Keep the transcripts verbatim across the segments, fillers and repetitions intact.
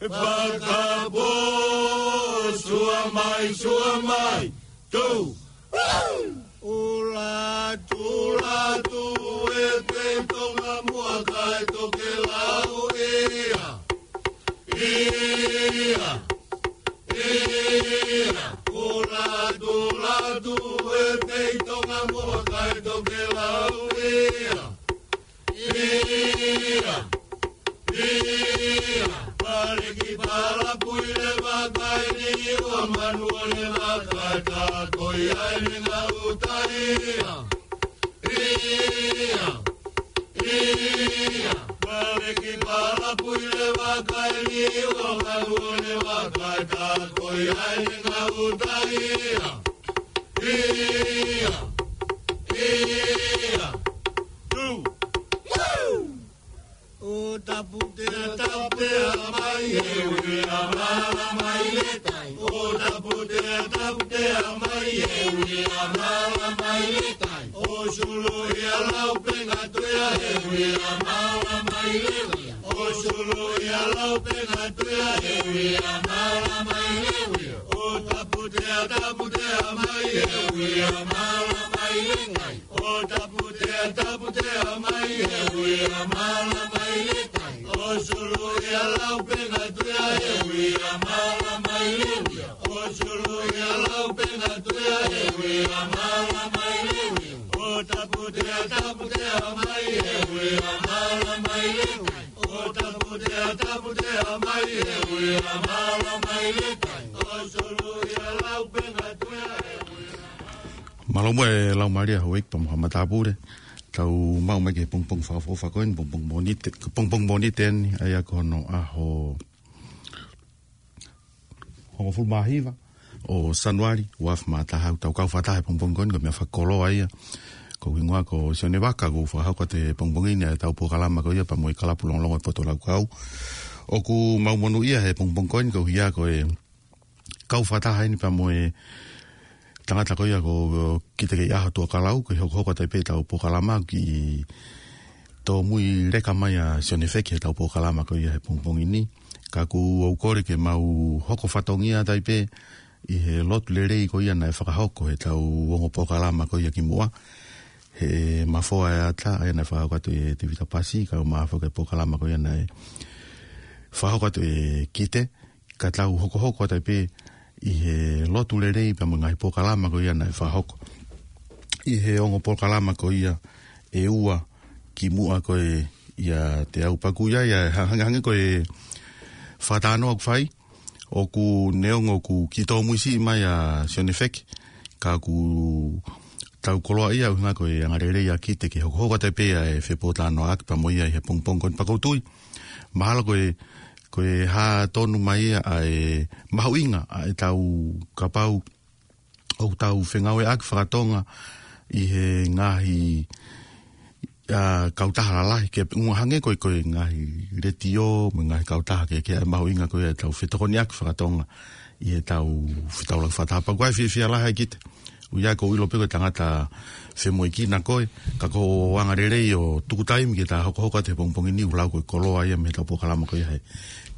Fakapō, sua mai, sua mai, tū. Ula, tula, tū, e pei Tonga muʻa kae tokelau ia. Ia, ia, ula, tula, tū, e pei Tonga muʻa kae tokelau ia. Ia, ia, pale ki pala pui le vakai ni ua manu o le vakai ka ko ia e ngau tai ia. Ia, ia, pale ki pala pui le vakai ni ua manu o le vakai ka ko ia e ngau tai ia. Ia, ia, two. ʻO taputea, taputea mai e ui a mala mai le tai. ʻO taputea, taputea mai e ui a mala mai le tai. ʻO sulu ia lau penga tuia e ui a mala mai le uia. ʻO sulu ia lau penga tuia e ui a mala mai le uia. ʻO taputea, taputea mai e ui a mala mai le tai. ʻO taputea, taputea mai e ui a mala mai le tai. ʻO sulu ia lau penga tuia e ui a mala mai le uia. ʻO sulu ia lau penga tuia e ui a mala mai le uia. ʻO taputea, taputea mai e ui a mala mai le tai. ʻO taputea, taputea mai e ui a mala mai le tai. ʻO sulu ia lau penga tuia e ui a Mālō muʻa e lau mālie ʻa Houʻeiki pea mo Haʻa Matāpule. Tau maʻu mai ki he pongipongi fakaʻofoʻofa ko eni, pongipongi Mōnite, pongipongi Mōnite eni, ʻa ia ko hono ʻaho hongofulu mā hiva ʻo Sānuali, ua afe mā taha. Tau kau fakataha he pongipongi ko eni, ko e meʻa fakakoloa ia. Ko hoku hingoa ko Sione Vaka, ʻoku ou fakahoko atu he pongipongi ni ʻa ʻetau polokalama ko ia pea mo e Kalapu Longolongo ʻo e Poto Laukau. ʻOku mau monūʻia he pongipongi ko eni koeʻuhi ko e kau fakataha eni pea mo e tangata ko ia ko Kite Keiʻaho Tuʻakalau, ko e hokohoko atu ai pē ʻetau polokalama, kiʻi tōmui leka mai ʻa Sione Feki heʻetau polokalama ko ia he pongipongi ni. Ka ʻoku ou kole ke mau hoko fatongia atu ai pē ʻi he lotu lelei ko ia naʻe fakahoko heʻetau ongo polokalama ko ia kimuʻa, he Mafoa ʻa e Ata, ʻa ia naʻe fakahoko atu ʻe Tevita Pasi, kae ʻumaʻā foki e polokalama ko ia naʻe fakahoko atu ʻe Kite, ka tau hokohoko atu ai pē ʻi he lotu lelei pea mo e ngaahi polokalama ko ia naʻe fakahoko ʻi he ongo polokalama ko ia ʻe ua kimuʻa ko ē ʻiate au. Pea ʻoku ʻi ai ʻa e ha-, hangē, hangē ko e fakatalanoa ʻoku fai, ʻoku neongo ʻoku kiʻi tōmui siʻi mai ʻa Sione Feki, ka ʻoku tau koloaʻia ʻuhinga ko e angalelei ʻa Kite ke hokohoko atu ai pē ʻa e fepōtalanoaʻaki pea mo ia ʻi he pongipongi ko eni. Pea ʻoku ou tui mahalo ko e, ko e hā tonu mai ia ʻa e mahuʻinga ʻa ʻetau, kapau ʻoku tau fengāueʻaki fakatonga ʻi he ngaahi, ʻa, kautaha lalahi, ke ʻuhinga hangē ko e, ko e ngaahi letiō mo e ngaahi kautaha kehekehe, ʻa e mahuʻinga ko ia ʻetau fetokoniʻaki fakatonga ʻi heʻetau fetaulaki fakataha. Pea ʻoku ʻi ai e fiefia lahi ai Kite. ʻOku ʻi ai, ʻoku ou ʻilo pē ko e tangata femoʻuekina koe, ka ko hoʻo angalelei ʻo tuku taimi ke ta hokohoko atu he pongipongi ni, ʻoku lau ko e koloa ia mei heʻetau polokalama ko ia he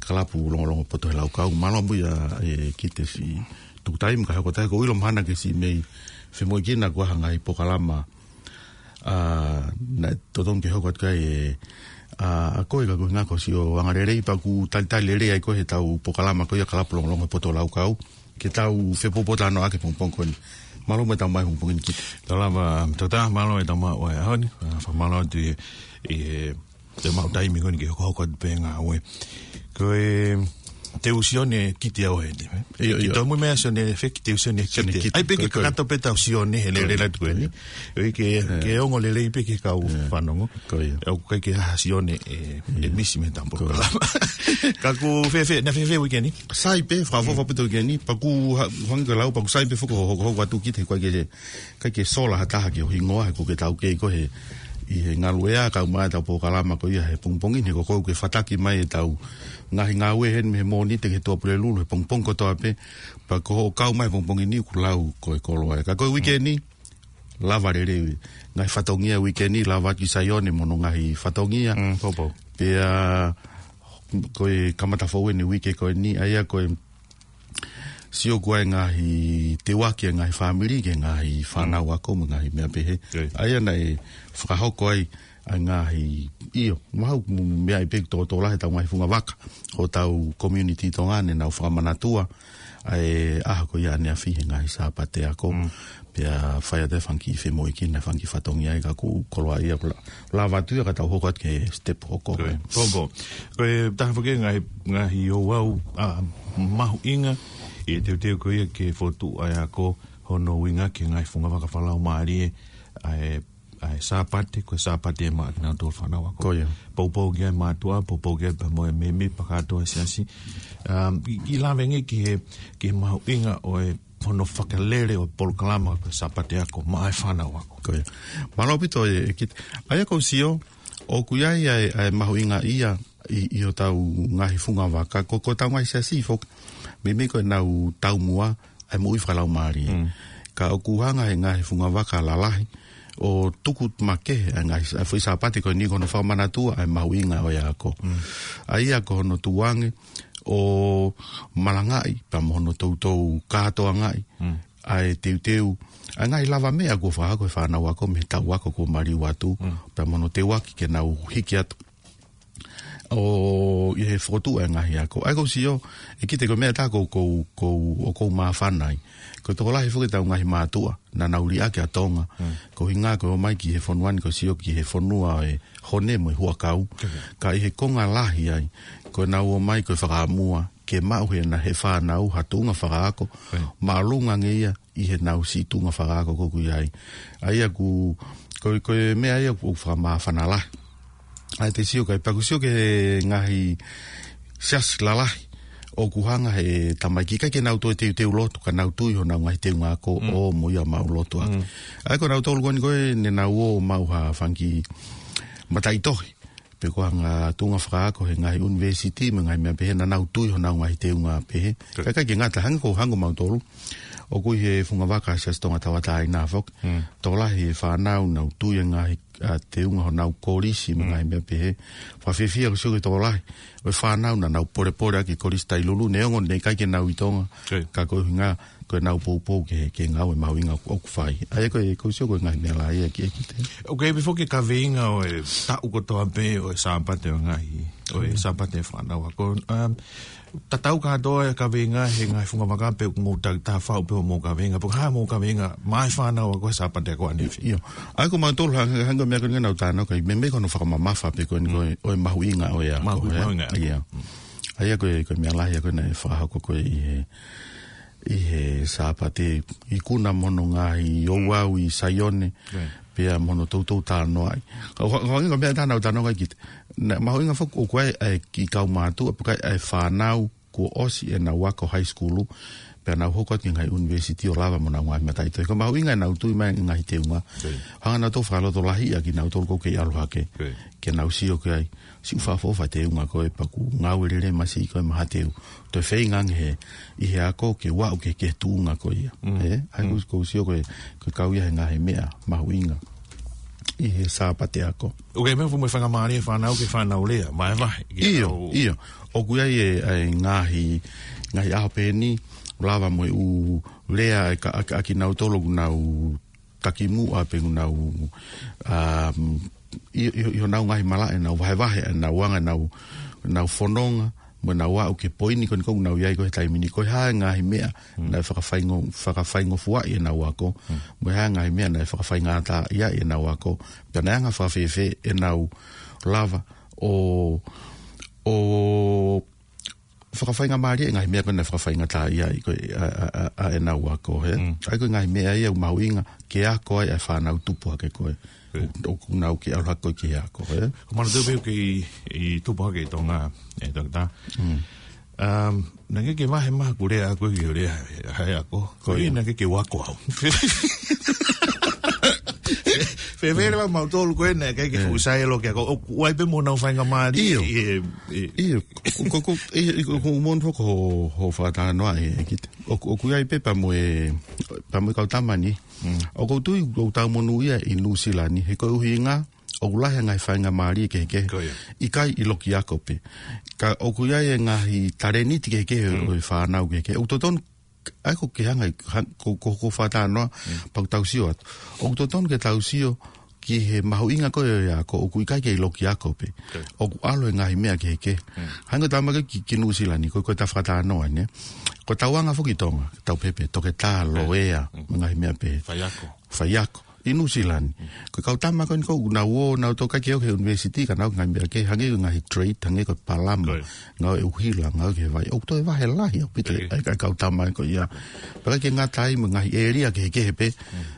Kalapu Longolongo Poto he Laukau. Mālō muʻa ʻa e Kite siʻi tuku taimi kae hoko atu ai, ʻoku ou ʻilo mahalo naʻa ke siʻi mei femoʻuekina ko ha ngaahi polokalama, ʻa, naʻe totonu ke hoko atu ki ai ʻe, ʻa, ʻa koe, ka ko e ʻuhinga ko siʻo angalelei pea ʻoku talitali lelei ai koe heʻetau polokalama ko ia Kalapu Longolongo he Poto Laukau, ke tau fepōtalanoaʻaki he pongipongi ko eni. Mālō muʻa e tau mai he pongipongi ni Kite. Tau lava, tau tā, mālō e tau maʻu ʻa e ʻaho ni, ʻa, fakamālō atu ʻi, ʻi he, te maʻu taimi ko eni ke hokohoko atu pē ngāue. Ko e, te u Sione Kite au heni, ē? ʻIo, ʻio. Ke tau mui meʻa Sione Feki, te u Sione Sione Kite. Kite. ʻAi pē ke, ko e, kakato pē tau Sione he lele atu ko eni. Ko e. ʻOi ke, ʻē, ke ongo lelei pē ki he kau, ʻē, fanongo. Ko ia. ʻOku ʻikai ke ha Sione ʻe, ʻe, ʻio, misi mei heʻetau, ko ia, polokalama. Ka ʻoku fēfē, naʻe fēfē uike ni? Sai pē, fakaʻofoʻofa, mm, pē ʻa e uike ni, pea ʻoku ha-, hangē ko e lau, pea ʻoku sai pē foki hoʻo hokohoko atu Kite, he ʻoku ʻikai ke, ʻikai ke sola ha taha ki ho hingoa, he ʻoku ke taukei koe he, ʻi he ngaluʻea, kae ʻumaʻā ʻetau polokalama ko ia he pongipongi ni, he ko koe ʻoku ke fataki mai ʻetau ngaahi ngāue heni mei he Mōnite ki he Tuʻapulelulu he pongipongi kotoa pē, pea ko hoʻo kau mai he pongipongi ni ʻoku lau ko e koloa ia. Ka ko e uike ni, lava lelei ngaahi fatongia uike ni, lava atu ki Saione mo hono ngaahi fatongia. Mm, poupou. Pea ko e kamata foʻou eni uike ko eni, ʻa ia ko e sio ko ē ngaahi teuaki ʻa e ngaahi fāmili ki he ngaahi fānau ako mo e ngaahi meʻa pehē. ʻA ia naʻe fakahoko ai ʻa e ngaahi, ʻio, mahalo mo e meʻa ʻi pē tōtō lahi ʻetau ngaahi fungavaka ʻo ʻetau community Tonga ne nau fakamanatua ʻa e ʻaho ko ia ʻaneafi he ngaahi Sāpate ako. Pea fai atu e fanga kiʻi femoʻuekina, fanga kiʻi fatongia ai ka ʻoku koloaʻia ʻoku la-, lava atu ia ka tau hoko atu ki he step hoko. Ko e, ko e, ko e taha foki e ngaahi, ngaahi ouau, ʻa, mahuʻinga ʻi he teuteu ko ia ke fokotuʻu ʻa e ako, hono ʻuhinga ki he ngaahi fungavaka fakalaumālie, ʻa e, ʻa e Sāpate, ko e Sāpate ʻe maʻa kinautolu fānau ako. Poupou ki ai e mātuʻa, poupou ki ai pea mo e mēmipa kātoa ʻo e siasi. Um, ʻi, ʻi lave ange ki he, ki he mahuʻinga ʻo e hono fakalele ʻo e polokalama ko e Sāpate ako maʻa e fānau ako. Mālō ʻaupito e, e kit-, ʻa ia ʻoku ou sio, ʻoku ʻi ai ʻa e, ʻa e mahuʻinga ia ʻi, ʻi hotau ngaahi fungavaka, ko, ko hotau ngaahi siasi foki. Meimei ko ʻenau taumuʻa, ʻa e moʻui fakalaumālie. Ka ʻoku hanga he ngaahi fungavaka lalahi, ʻo tuku makehe ʻa e ngaahi, ʻa e foʻi Sāpate ko eni ko hono fakamanatua ʻa e mahuʻinga ʻo e ako. ʻA ia ko hono tuʻu ange, ʻo malangaʻi, pea mo hono toutou kātoangaʻi, ʻa e teuteu, ʻa e ngaahi lavameʻa kuo fakahoko ʻe he fānau ako mei he taʻu ako kuo maliu atu, pea mo hono teuaki ke nau hiki atu. ʻO ʻi he fokotuʻu ʻa e ngaahi ako. ʻA ia ʻoku ou sio, ʻEkite, ko e meʻa ʻe taha ʻoku ou, ʻoku ou, ʻoku ou māfana ai. Ko e tokolahi foki ʻetau ngaahi mātuʻa, naʻa nau liʻaki ʻa Tonga. Ko e ʻuhinga ko e ō mai ki he fonua ni ʻoku ou sio ki he fonua ʻo e hone mo e huʻakau. Ka ʻi he konga lahi ai, ko ʻenau ō mai ko e fakaʻamua ke maʻu ʻe heʻena, ʻe he fānau ha tuʻunga fakaako māʻolunga ange ia ʻi heʻenau siʻi tuʻunga fakaako ʻoku ʻi ai. ʻA ia ʻoku, ko, ko e meʻa ia ʻoku ou fakamāfana lahi. ʻA ia te u sio ki ai, pea ʻoku ou sio ki he ngaahi siasi lalahi ʻoku hanga he tamaiki ʻikai ke nau toe teuteu lotu, ka nau tui honau ngaahi teunga ako ʻo ō mo ia ʻo maʻulotu ʻaki. ʻA ia ko nautolu ko eni ko ē ne nau ō ʻo maʻu ha fanga kiʻi mataʻitohi pe ko ha ngaahi tuʻunga fakaako he ngaahi ʻunivēsiti mo e ngaahi meʻa pehē, naʻa nau tui honau ngaahi teunga pehē. Ka ʻikai ke ngata, hangē ko, hangē ko mautolu, ʻoku ʻi he fungavaka Siasi Tonga Tauʻatāina foki. Tokolahi e fānau naʻa nau tui e ngaahi, ʻa, teunga honau kolisi mo e ngaahi meʻa pehē. Fakafiefia ʻoku ou sio ki he tokolahi ʻo e fānau naʻa nau polepole ʻaki e Kolisi Tailulu, neongo ne ʻikai ke nau ʻi Tonga. Ka ko e ʻuhinga ko ʻenau poupou ki he, ki he ngāue mahuʻinga ʻoku, ʻoku fai. ʻA ia ko e, ʻoku ou sio ko e ngaahi meʻa lahi ia ki he kite. ʻOku ʻi ai pē foki e kaveinga ʻo e taʻu kotoa pē ʻo e Sāpate ʻo e ngaahi, ʻo e Sāpate ʻo e fānau ako. Um, tatau kātoa e kaveinga he ngaahi fungavaka pe ʻoku mou takitaha faʻu pē hoʻomou kaveinga, pe ko e hā hoʻomou kaveinga maʻa e fānau ako he Sāpate ako ʻaneafi? ʻIo. ʻA ia ko mautolu hangē, hangē ko e meʻa ko eni naʻa ku talanoa ki ai, meimei ko hono fakamamafa pē ko eni ko e, ʻo e mahuʻinga ʻo e ako, ē? Mahuʻinga. ʻIo. ʻA ia ko e, ko e meʻa lahi ia ko ē naʻe fakahoko ko ē ʻi he ʻi he Sāpate, ikuna mo hono ngaahi ouau ʻi Saione, pea mo hono toutou talanoaʻi. Ka ʻoku, ʻoku hangē ko e meʻa ʻe taha naʻa ku talanoa ki ai, naʻe mahuʻinga foki ʻoku ʻi ai e kiʻi kaumātuʻa, pe ko e fānau kuo ʻosi ʻenau ako high school, pea nau hoko atu ki he ngaahi ʻunivēsiti ʻo lava mo honau ngaahi mataʻitohi. Ko e mahuʻinga ʻenau tui mai e ngaahi teunga. Hanga nautolu ʻo fakalotolahiʻi ʻa kinautolu ʻoku kei ʻalu hake. Ke nau sio ki ai, siʻi ʻoku fakaʻofoʻofa e teunga ko ē pea ʻoku ngāue lelei masiʻi ko ē maʻa ha teu. Toe feinga ange he, ʻi he ako ke u aʻu ki he, ki he tuʻunga ko ia. Ē? ʻA ia ʻoku ou sio ko e, ko e kau ia he ngaahi meʻa mahuʻinga ʻi he Sāpate ako. ʻOku ʻi ai e meʻa ʻoku mou faingamālie e fānau ke fānau lea, maʻa e vahe. ʻIo, ʻio. ʻOku ʻi ai e, e ngaahi, ngaahi ʻaho pehē ni, lava mo e ʻū lea ʻa e ka, ʻa, ʻa kinautolu ʻoku nau takimuʻa pe ʻoku nau, um, ʻi, ʻi, ʻi honau ngaahi malaʻe, nau vahevahe, nau anga, nau, nau fononga, mo nau aʻu ki he poini ko eni ʻoku nau ʻi ai ko ē he taimi ni, ko e hā e ngaahi meʻa naʻe fakafaingo-, fakafaingofuaʻi ʻenau ako, mo e hā e ngaahi meʻa naʻe fakafaingataʻaʻiaʻi ʻenau ako, pea naʻe anga fakafēfē ʻenau lava ʻo, ʻo fakafaingamālie e ngaahi meʻa ko ē naʻe fakafaingataʻaʻiaʻi ko ē ʻa, ʻa, ʻa, ʻa ʻenau ako, ē? ʻA ia ko e ngaahi meʻa ia ʻoku mahuʻinga ke ako ai ʻa e fānau tupu hake ko ē. ʻOku, ʻoku nau kei ʻalu hake ko ē ki he ako, ē? Ko e manatu pē ʻoku kei tupu hake ʻi Tonga, ē, Toketā. Um, naʻe ʻikai ke vahe mai haku lea ʻaʻaku ki he lea ʻa e ako. Ko ia. Naʻe ʻikai ke u ako au. Fēfē leva mautolu ko ē naʻe ʻikai ke fuʻu sai loa ki he ako. ʻOku ʻi ai pē mo honau faingamālie? ʻIo. ʻIo. Ko, ko, ko, ʻio, ʻio, ko, ko, mou foki hoʻo, hoʻo fakatalanoa ē, ʻEkite. ʻOku, ʻoku ʻi ai pē pea mo e, pea mo e kau tama ni. ʻOku ou tui, ʻoku tau monūʻia ʻi Nuʻusila ni, he ko e ʻuhinga ʻOku lahi e ngaahi faingamālie kehekehe. Ko ia. ʻIkai ʻi loki ako pē. Ka ʻoku ʻi ai e ngaahi talēniti kehekehe ʻo e fānau kehekehe. ʻOku totonu, ʻa ia ko ke hanga, hang-, ko, ko, ko fakatalanoa, pea ʻoku tau sio atu. ʻOku totonu ke tau sio ki he mahuʻinga ko ē ʻo e ako, ʻoku ʻikai ke ʻi loki ako pē. Ko ia. ʻOku ʻalu e ngaahi meʻa kehekehe. Hangē ko e tama ko ē ki, ki Nuʻusila ni, ko, ko ʻeta fakatalanoa, nē? Ko ʻetau anga foki ʻi Tonga, tau pehē pē, toketā, loea, mo e ngaahi meʻa pehē. Faiako. Faiako. ʻI Nuʻusila ni. Ko e kau tama ko eni ko ē nau ō, nau toki ʻikai ke ō ki he university, ka nau ngaahi meʻa kehe, hangē ko e ngaahi trade, hangē ko e palama, ngāue ʻuhila, ngāue ki he vai. ʻOku toe vahe lahi ʻaupito ʻa e, ʻa e kau tama ko ia. Pea ʻikai ke ngata ai mo e ngaahi ʻēlia kehekehe pē,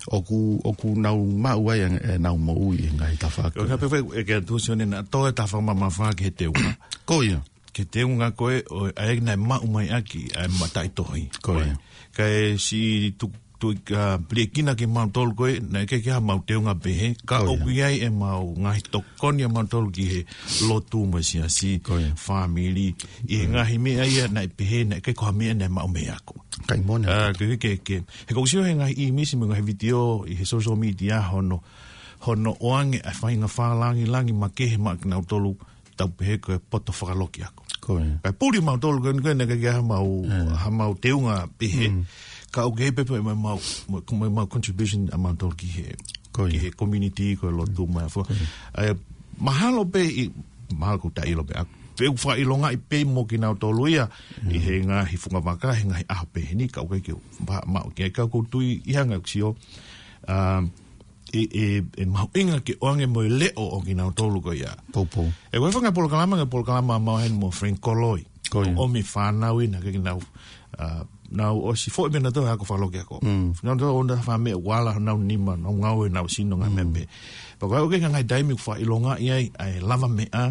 ʻoku, ʻoku nau maʻu ai e, ʻenau moʻui ʻi he ngaahi tafaʻaki. Ko e hā pē fai, ʻe ke tuʻu Sione naʻa toe ta fakamamafa ki he teunga. Ko ia. Ki he teunga ko ē, ʻo, ʻa ia naʻe maʻu mai ʻaki ʻa e mataʻitohi. Ko ia. Kae siʻi tu, tu, ʻa, piliekina kimautolu ko ē, naʻe ʻikai ke ʻi ai hamau teunga pehē, ka ʻoku ʻi ai ʻemau ngaahi tokoni ʻamautolu ki he lotu mo e siasi, fāmili, ʻi he ngaahi meʻa ia naʻe pehē, naʻe ʻikai ko ha meʻa naʻe maʻu mei he ako. ʻIkai mo e ako. Ke, ke, ke, he ʻoku ou sio he ngaahi ʻīmisi mo e ngaahi vitiō ʻi he social media hono, hono ʻoange ʻa e faʻahinga fakalangilangi makehe maʻa kinautolu, tau pehē ko e poto fakaloki ako. Ko ia. Kae puli mautolu ko ē, ko ē naʻe ʻikai ke ʻi ai hamau, hamau teunga pehē. Ka ʻoku ʻi ai pē pē mo ʻemau, mo, mo ʻemau contribution ʻamautolu ki he, ki he community, ko e lotu mo e fua. ʻA ia, mahalo pē ʻi, mahalo ʻoku ta ʻilo pē, ʻa, pea ʻoku fakaʻilongaʻi pē mo kinautolu ia, ʻi he ngaahi fungavaka, he ngaahi ʻaho pehē ni, ka ʻoku ʻikai ke u, ma, maʻu ki ai, ka ʻoku ou tui ʻi he anga ʻeku sio, um, ʻe, ʻe, ʻe mahuʻinga ke ʻoange mo e leʻo ʻo kinautolu ko ia. Poupou. ʻE, ko e fanga polokalama, ngaahi polokalama ʻa Mao Heni mo Frank Koloi. Ko ia. ʻOmi fānau ʻi he ʻaho ni ke nau, ʻa, nau ʻosi foʻi meʻa naʻa tau ako fakaloki ako. Nau tau ʻona fā meʻa ʻoku ala honau nima, nau ngāue, nau sino ngaahi meʻa pehē. Pea ko e ʻoku ʻi ai e ngaahi taimi ʻoku fakaʻilongaʻi ai, ʻa e lavameʻa,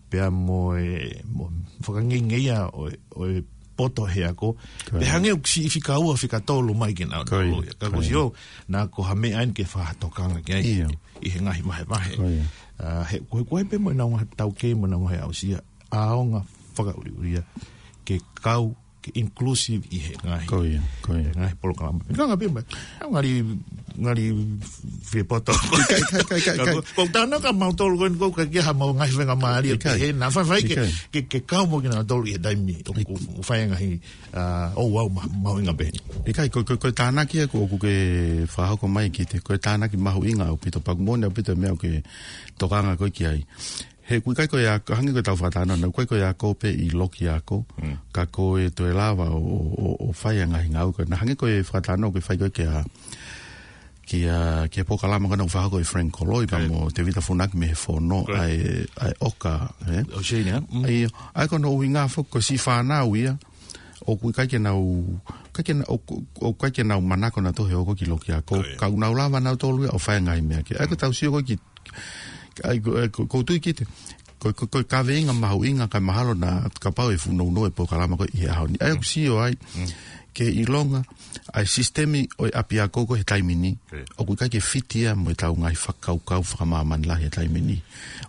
pea mo e, mo e fakangeingei ʻa e, ʻo e, ʻo e poto he ako. Ko ia. Pea hangē ʻoku siʻi fika ua, fika tolu mai kinautolu ia. Ka ʻoku ou sio, naʻa ko ha meʻa eni ke fakatokanga ki ai. ʻIo. ʻI he ngaahi vahevahe. Ko ia. ʻA, he, ko e, ko e pē mo ʻenau ngaahi taukei mo ʻenau ngaahi aʻusia. ʻAonga fakaʻuliʻulia. Ke kau, ke inclusive ʻi he ngaahi. Ko ia, ko ia. He ngaahi polokalama. Ka ngaahi pē mai. ʻAu ngali, ngali fie poto. ʻIkai, ʻikai, ʻikai, ʻikai, ʻikai. Ko, ko tana ka mautolu ko eni ko ka ke ha mau ngaahi faingamālie pehē. Naʻa faifai ke, ke, ke kau mo kinautolu ʻi he taimi ʻoku fai ngaahi, ʻa, ʻo au ma, mahuʻinga pehē. ʻIkai, ko, ko, ko e tānaki ʻoku, ʻoku ke fakahoko mai kiate, ko e tānaki mahuʻinga ʻaupito, pea ʻoku moʻoni ʻaupito e meʻa ʻoku ke tokanga ko ē ki ai. He ʻoku ʻikai ko e ako, hangē ko ʻetau fakatalanoa, ʻoku ʻikai ko e ako pē ʻi loki ako, ka ko e toe lava ʻo, ʻo, ʻo, ʻo fai ʻa e ngaahi ngāue ko ē. Naʻa hangē ko e fakatalanoa ʻoku ke fai ko ē kia, kia, kia polokalama ko ena ʻoku fakahoko ʻe Frank Koloi, pea mo Tevita Funaki mei he fono, ʻa e, ʻa e ʻoka, ē? ʻO Shane, ē? ʻIo, ʻa ia ko hono ʻuhinga foki ko e siʻi fānau ia, ʻoku ʻikai ke nau, ʻikai ke na-, ʻoku, ʻoku ʻikai ke nau manako nautolu he ʻoku ʻi loki ako. Ka ʻoku nau lava nautolu ia ʻo fai ngaahi meʻa kehe. ʻA ia ko ʻetau sio ko ē ki ʻA ia ko, ʻa ia ko, ʻoku ou tui kiate, ko, ko, ko e kaveinga mahuʻinga kae mahalo naʻa kapau ʻe fuʻu nounou e polokalama ko ē ʻi he ʻaho ni. ʻA ia ʻoku sio ai, ke ʻilonga, ʻa e sisitemi ʻo e ʻapiako ko ē he taimi ni, ʻoku ʻikai ke fiti ia mo ʻetau ngaahi fakakaukau fakamāmani lahi he taimi ni.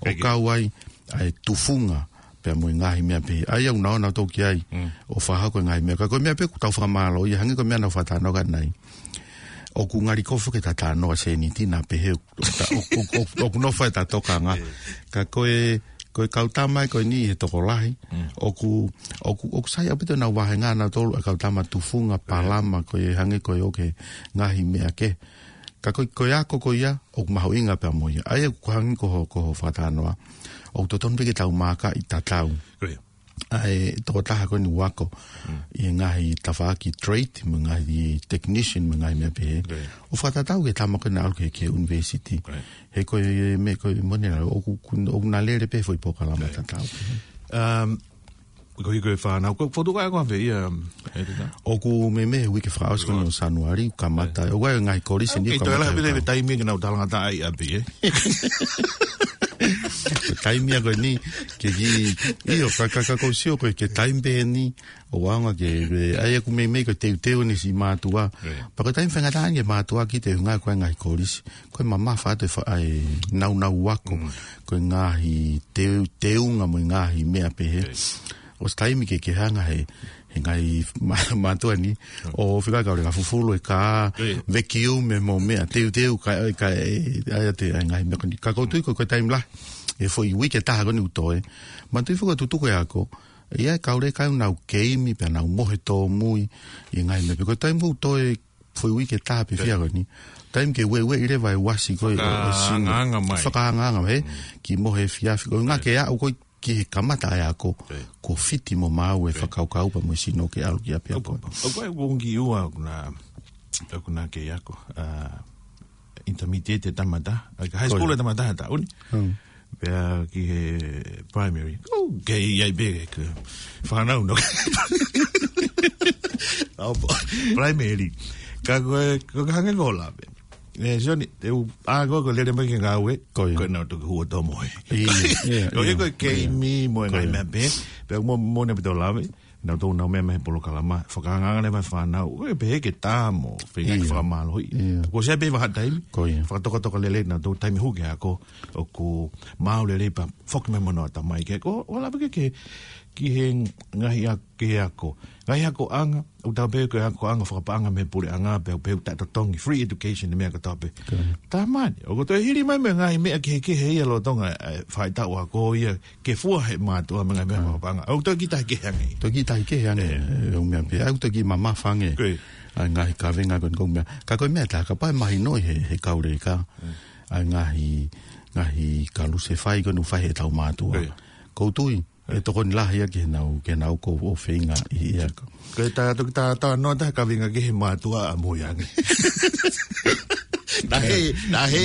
ʻO kau ai, ʻa e tufunga, pea mo e ngaahi meʻa pehē. ʻA ia ʻoku nau ō nautolu ki ai, ʻo fakahoko e ngaahi meʻa. Ka ko e meʻa pē ʻoku tau fakamālō ia, hangē ko e meʻa naʻa ku fakatalanoa ki ai. ʻOku ngali kofu ke ta talanoa sēniti naʻa pehē ʻoku, ʻoku, ʻoku, ʻoku nofo ʻeta tokanga. Ka ko e, ko e kau tama ko eni he tokolahi. ʻOku, ʻoku, ʻoku sai ʻaupito ʻenau vahenga nautolu ʻa e kau tama tufunga palama ko e hangē ko e ʻoku ngaahi meʻa kehe. Ka ko e, ko e ako ko ia, ʻoku mahuʻinga pea mo ia. ʻA ia ʻoku hangē ko hoʻo, ko hoʻo fakatalanoa. ʻOku totonu pē ke tau maaka ʻi tatau. ʻA e tokotaha ko eni ʻoku ako ʻi he ngaahi tafaʻaki trade, mo e ngaahi technician, mo e ngaahi meʻa pehē. ʻO fakatatau ki he tama ko ē naʻe ʻalu ki he, ki he university. He ko e meʻa ko ē moʻoni ʻoku, ʻoku na lele pē foʻi polokalama tatau. Um, ko e hiko e fānau, ko e fotu ka ko ave ia, um, ʻOku meimei he uike fakaʻosi ko eni ʻo Sānuali, kamata. ʻOku ʻi ai e ngaahi kolisi ni, kamata. Kei toe lahi pē taimi ke nau talangataʻa ai ʻapi, ē? Ko e taimi ia ko eni, ke ki, ʻio, ka, ka, ka ʻoku ou sio ko e, ko e taimi pē eni, ʻoku ʻaonga ke, ʻa ia ʻoku meimei ko e teuteu eni siʻi mātuʻa. Pea ko e taimi faingataʻa eni ke mātuʻa ki he ʻuhinga ko e ngaahi kolisi. Ko e mamafa atu e fa-, ʻa e naunau ako. Ko e ngaahi teu-, teunga mo e ngaahi meʻa pehē. ʻOsi taimi ke, ke hanga he, he ngaahi ma-, mātuʻa ni, ʻo fika ka ole ka fufulu e kā, vacuum mo e meʻa, teuteu ka, ka, ʻa ia te, ʻa e ngaahi meʻa ko eni. Ka ʻoku ou tui ko e, ko e taimi lahi, he foʻi uike ʻe taha ko eni ʻoku toe. Manatuʻi foki ʻoku tutuku e ako, ʻa ia e kau leka ʻoku nau keimi, pea nau mohe tōmui, ʻi he ngaahi meʻa pē. Ko e taimi ʻoku toe, foʻi uike ʻe taha pē fia ko eni. Taimi ke ueʻi leva e uasi ko e, e, e sino. Fakaangaanga mai. Fakaangaanga mai, he, kimuʻa he efiafi. Ko e ʻuhinga ke aʻu ko ē ki he kamata ʻa e ako, kuo fiti mo maau e fakakaukau pea mo e sino ke ʻalu ki ʻapiako. ʻOku, ʻoku, ʻoku, ʻoku ʻi ai e kiʻi ua ʻoku na, ʻoku na kei ako, ʻa, intermediate e tama taha, ʻa, high school e tama taha he taʻu ni. Pea ki he primary. ʻOku kei ʻi ai pē ke fānau no. ʻAo, primary. Ka ko e, ko e hangē ko e lave. ʻE, Sione, te u, ʻa, ko, ko e lele mai ki he ngāue, ko ʻenau toki hū ʻo tō mohe. Ko e, ko e keimi mo e ngaahi meʻa pehē, pea mo, mo ne pito lave, nau tō nau meʻa mai he polokalama, fakaangaanga leva e fānau, ʻoku pehē ke tā mo, feinga ke fakamālohiʻi. Ko e ʻosi pē vahaʻa taimi, fakatokatoka lelei nau tō taimi hū ki he ako, ʻoku maau lelei pea foki mai mo hono ʻatamai ke, ko, ʻo lava ke, ke, ki he ngaahi a-, ki he ako. Ngaahi akoʻanga, ʻoku tau pehē ko e akoʻanga fakapaʻanga mei he puleʻanga, pea, pea ʻoku taʻetotongi, free education, e meʻa kotoa pē. Tamani, ʻoku toe hili mai mo e ngaahi meʻa kehekehe ia lolotonga, ʻa e faʻahitaʻu ako ia, ke fua he mātuʻa mo e ngaahi meʻa fakapaʻanga. ʻOku toe kiʻi taha kehe ange. Toe kiʻi taha kehe ange, ʻe, ʻo meʻa pē, ʻoku toe kiʻi mamafa ange. ʻA e ngaahi kavenga ko eni ko e meʻa. Ka ko e meʻa tā, kapau ʻe mahino he, he kau leka. ʻA e ngaahi, ngaahi kalusefai ko eni ʻoku fai heʻetau mātuʻa. ʻOku ou tui, ʻe tokoni lahi ia ki heʻenau, ki heʻenau ko ē ʻoku feinga ʻi he ako. Ko e tā, toki tā, tā noa tā kavenga ki he mātuʻa ʻamui ange. Naʻe, naʻe,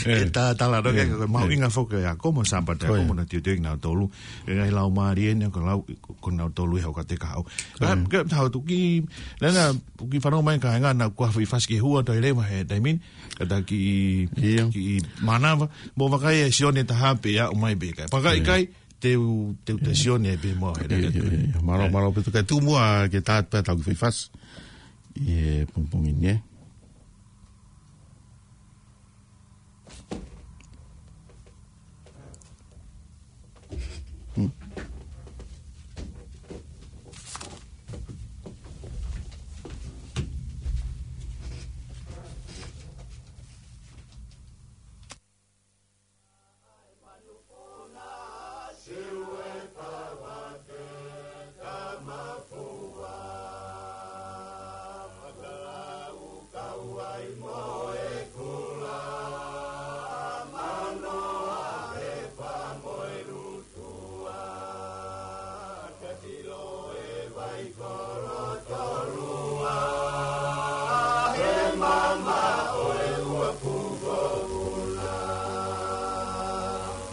ʻe tā, tā la noa ke, ko e mahuʻinga foki e ako mo Sāpate ako mo hono teuteu kinautolu. ʻE ngaahi laumālie eni ko e lau, ko kinautolu ʻi he ʻoku te kahaʻu. Ka, ka tā toki, nana, ki fanongo mai kāinga naʻa ku ʻalu ʻo fasi ki he hua toe leva he taimi ni, ka tā kiʻi, kiʻi mānava, mo vakai e Sione taha pē ʻa ʻomai pē kai. Pea ka ʻikai, te u, te u te Sione pē mo he lele. Mālō, mālō pē tuku e tuʻu muʻa ke tā pē tau kiʻi fasi. ʻI he pongipongi ni, ē.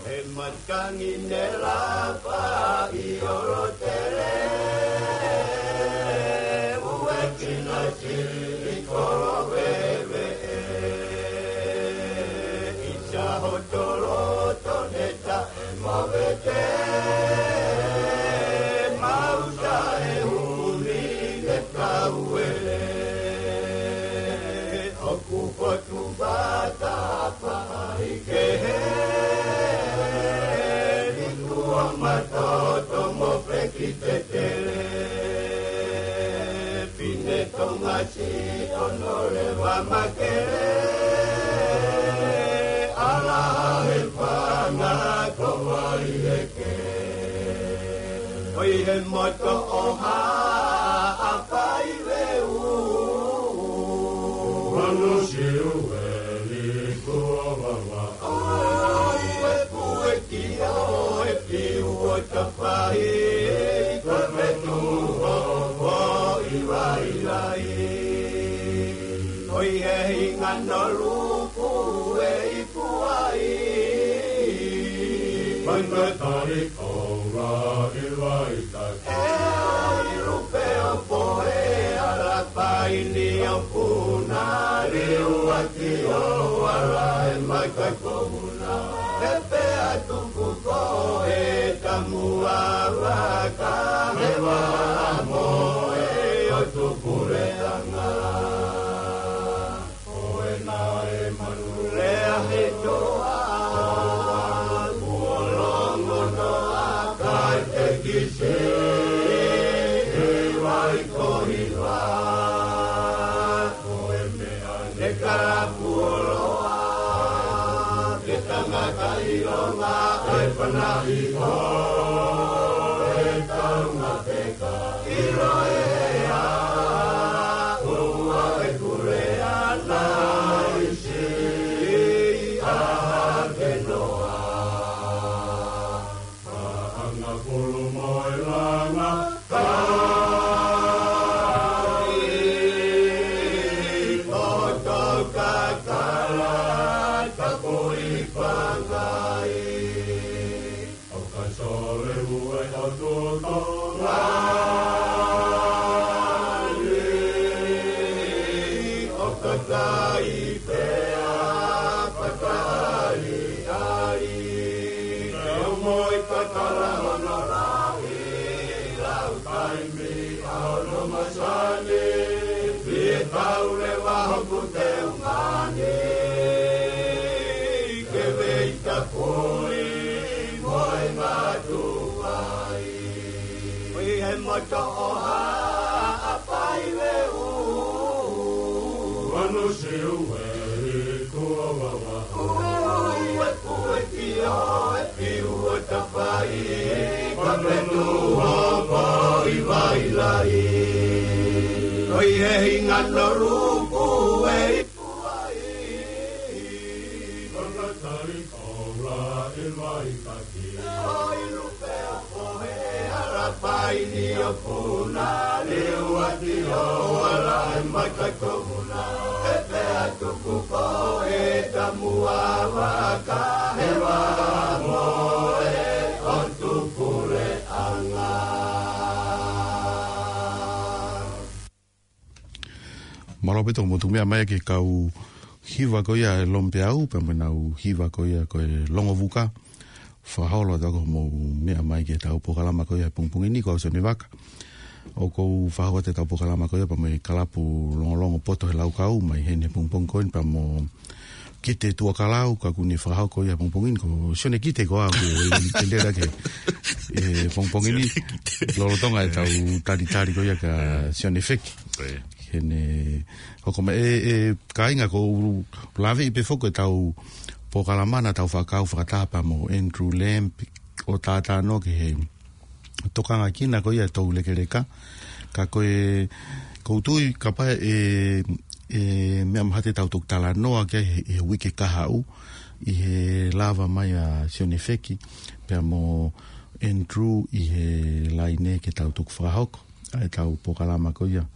He matangi ne lapa ʻi ʻolotele, ue kinautolu ʻi kolo veve. ʻI Sahotolo tone ta Mavete, mau taʻe uni ke kauele. ʻOku potu vata paʻi kehe, ni kua matoto mo peki tetele. Pine Tonga si ono leva makele, ala he fanga ko wai eke. ʻOi he moto ʻoha, ʻa fai veu. Manu siu e ni kua wawa. ʻOi e kue ki o e piu o tapai, ko e metu o, o i vai lai. ʻOi he hinga no luku e i puai. Mai mai tari koura i vai tai. E ai lupe o poe ala paini o puna. Liu ati o ala e mai kai kouna. E pea tuku ko e tamu a vaka. He wa mo e o tuku le anga. Ko e naʻe manu lea he toa, kuo longo noa kai te kisi, he Ko hiva, ko e meʻa ne kalapu oloa, ke tangata ʻilonga, e panaʻi ʻo e taunga peka, ʻilo ea, ua e kulea naisi, ʻa ke noa. Faʻanga pulu mo e langa kai, poto kakala, ka pui pangai. ʻO ka sole ue ʻo tutonga, ʻo ka kai pea pakaʻaliʻali. Ke ʻomoi kakala hono lahi, lau taimi ʻa hono masani, pea tau leva hoku teunga ni, ke vei tapui mo e ngatu ai. Ui he moto ʻo ha ʻapai ve u. Anu siu e kua wawa. Ui e kue tio e piu o tapai. Ka me tu hoko i vai lai. Ui he hinga no ruku e i kuai. Kona tali koula e vai taki. Oi lupe o pohe e ala pai ni o puna, liu ati o ala e mata komuna, e pea tuku ko e tamu a vaka, he vamo e o tuku le anga. Mālō ʻaupito hoʻomou tuku meʻa mai ki he kau hiva ko ia e Lompeau, pea mo ʻenau hiva ko ia ko e Longovuka. Fakaholo atu hoʻomou meʻa mai ki heʻetau polokalama ko ia he pongipongi ni, ko au Sione Vaka. ʻOku ou fakahoko atu ʻetau polokalama ko ia pea mo e kalapu Longolongo Poto he Laukau, mai heni he pongipongi ko eni pea mo Kite Tuʻakalau, ka ʻoku ne fakahoko ia he pongipongi ni, ko Sione Kite ko au, ke, ke lele ke, he pongipongi ni, Sione Kite. Lolotonga ʻetau talitali ko ia kia Sione Feki. Ko ia. Ke ne hoko mai, ʻe, ʻe, kāinga, ʻoku ou laveʻi pē foki ʻetau polokalama naʻa tau fakakau fakataha pea mo Andrew Lamb ʻo tātānaki he tokanga kina ko ia ʻetau lekeleka. Ka ko e, ʻoku ou tui kapau ʻe, ʻe meʻa mahalo te tau toki talanoa ki ai he, he uike kahaʻu, ʻi he lava mai ʻa Sione Feki pea mo Andrew ʻi he laine ke tau toki fakahoko ʻa ʻetau polokalama ko ia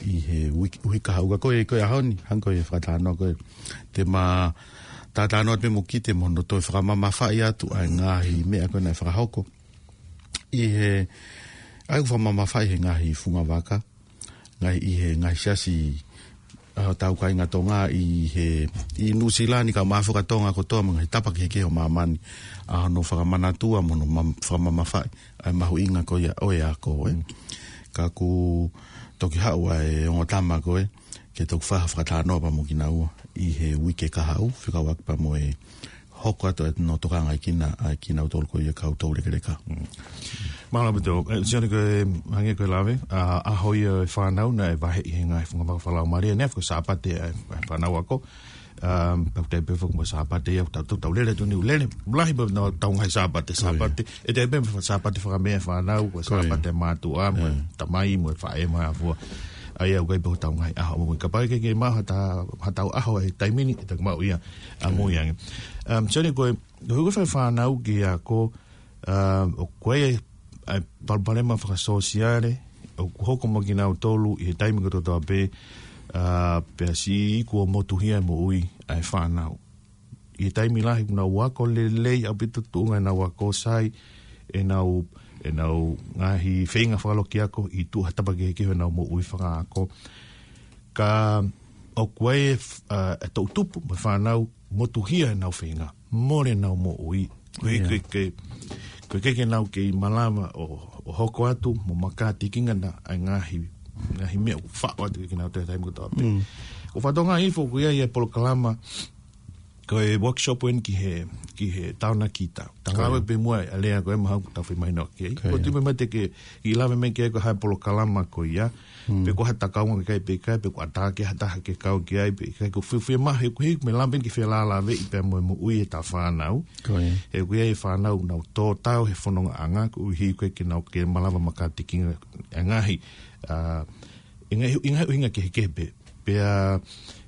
ʻi he uike, uike kahaʻu. Ka ko e, ko e ʻaho ni, hangē ko e fakatalanoa ko ē, te ma tātānaki atu pē mo Kite mo hono toe fakamamafaʻi atu ʻa e ngaahi meʻa ko ē naʻe fakahoko ʻi he, ʻa ia ʻoku fakamamafaʻi he ngaahi fungavaka, ngaahi, ʻi he ngaahi siasi ʻa hotau kāinga Tonga ʻi he, ʻi Nuʻusila ni, kae ʻumaʻā foki ʻa Tonga kotoa mo e ngaahi tapa kehekehe ʻo māmani, ʻa hono fakamanatua mo hono mam-, fakamamafaʻi ʻa e mahuʻinga ko ia ʻo e ako, ē. Mm. Ka kuo toki haʻu ʻa e ongo tama ko ē ke toki fai ha fakatalanoa pea mo kinaua ʻi he uike kahaʻu, fekauʻaki pea mo e hoko atu ʻenau tokangaʻi kina, ʻa kinautolu ko ia kau toulekeleka. Mm. Mālō ʻaupito, ē, Sione, ko e, hangē ko e lave, ʻa, ʻaho ia e fānau naʻe vaheʻi he ngaahi fungavaka fakalaumālie, naʻe ʻi ai foki e Sāpate ʻa e, ʻa e fānau ako. Um, pau te pe foki mo e Sāpate ia, tau, tau, tau lele atu ni, lele, lahi pē ʻetau ngaahi Sāpate, ko ia. Sāpate, ʻe te pe Sāpate fakamea fānau, ko e, ko ia, Sāpate mātuʻa, mo e, ē, tamai, mo e faʻē, mo e afua. ʻA ia, ʻoku ʻi ai pē hotau ngaahi ʻaho mo, kapau ʻe ʻikai ke maʻu haʻata, haʻatau ʻaho he taimi ni, ʻe toki maʻu ia ʻamui ange. Um, Sione, ko e, ko e fai fānau ki he ako, um, ʻoku ʻi ai e palopalema fakasōsiale ʻoku hoko mo kinautolu ʻi he taimi kotoa pē, uh, pea siʻi iku ʻo motuhia e moʻui ʻa e fānau. ʻI he taimi lahi ʻoku nau ako lelei ʻaupito, tuʻunga ʻenau ako, sai ʻenau, ʻenau ngaahi feinga fakalokiako ʻi tuʻa he tapa kehekehe ʻenau moʻui fakaako. Ka ʻoku ʻi ai e f-, ʻa, e toʻutupu mo e fānau motuhia ʻenau feinga, mole ʻenau moʻui. Ko e, ia, ko e, ko e, ko e ʻikai ke nau kei malava ʻo, ʻo hoko atu mo makātikinga ʻa e ngaahi, ngaahi meʻa ʻoku faʻo atu kia kinautolu he taimi kotoa pē. Mm. ʻOku ou fakatokangaʻi foki ʻoku ʻi ai e polokalama Ko e workshop eni ki he, ki he taonakita. Tangave pē muʻa e lea ko e mahau ko tau fai mai no ke. Ko tui mai te ke i lave mai ke ko ha polokalama ko ia. Pe ko ha takaunga ke kai pe kai, pe ko ata ke ha taha ke kau ki ai, pe kai ko fiu fiu mahe ko hi, me lampen ki fia lave i pea mo e moʻui e ta fānau. He ko ia e fānau nau tō tau he fononga anga, ko hi ko ke nau ke malava makatikinga e ngahi. A, e ngahi, e ngahi uhinga kehekehe pē. Pea,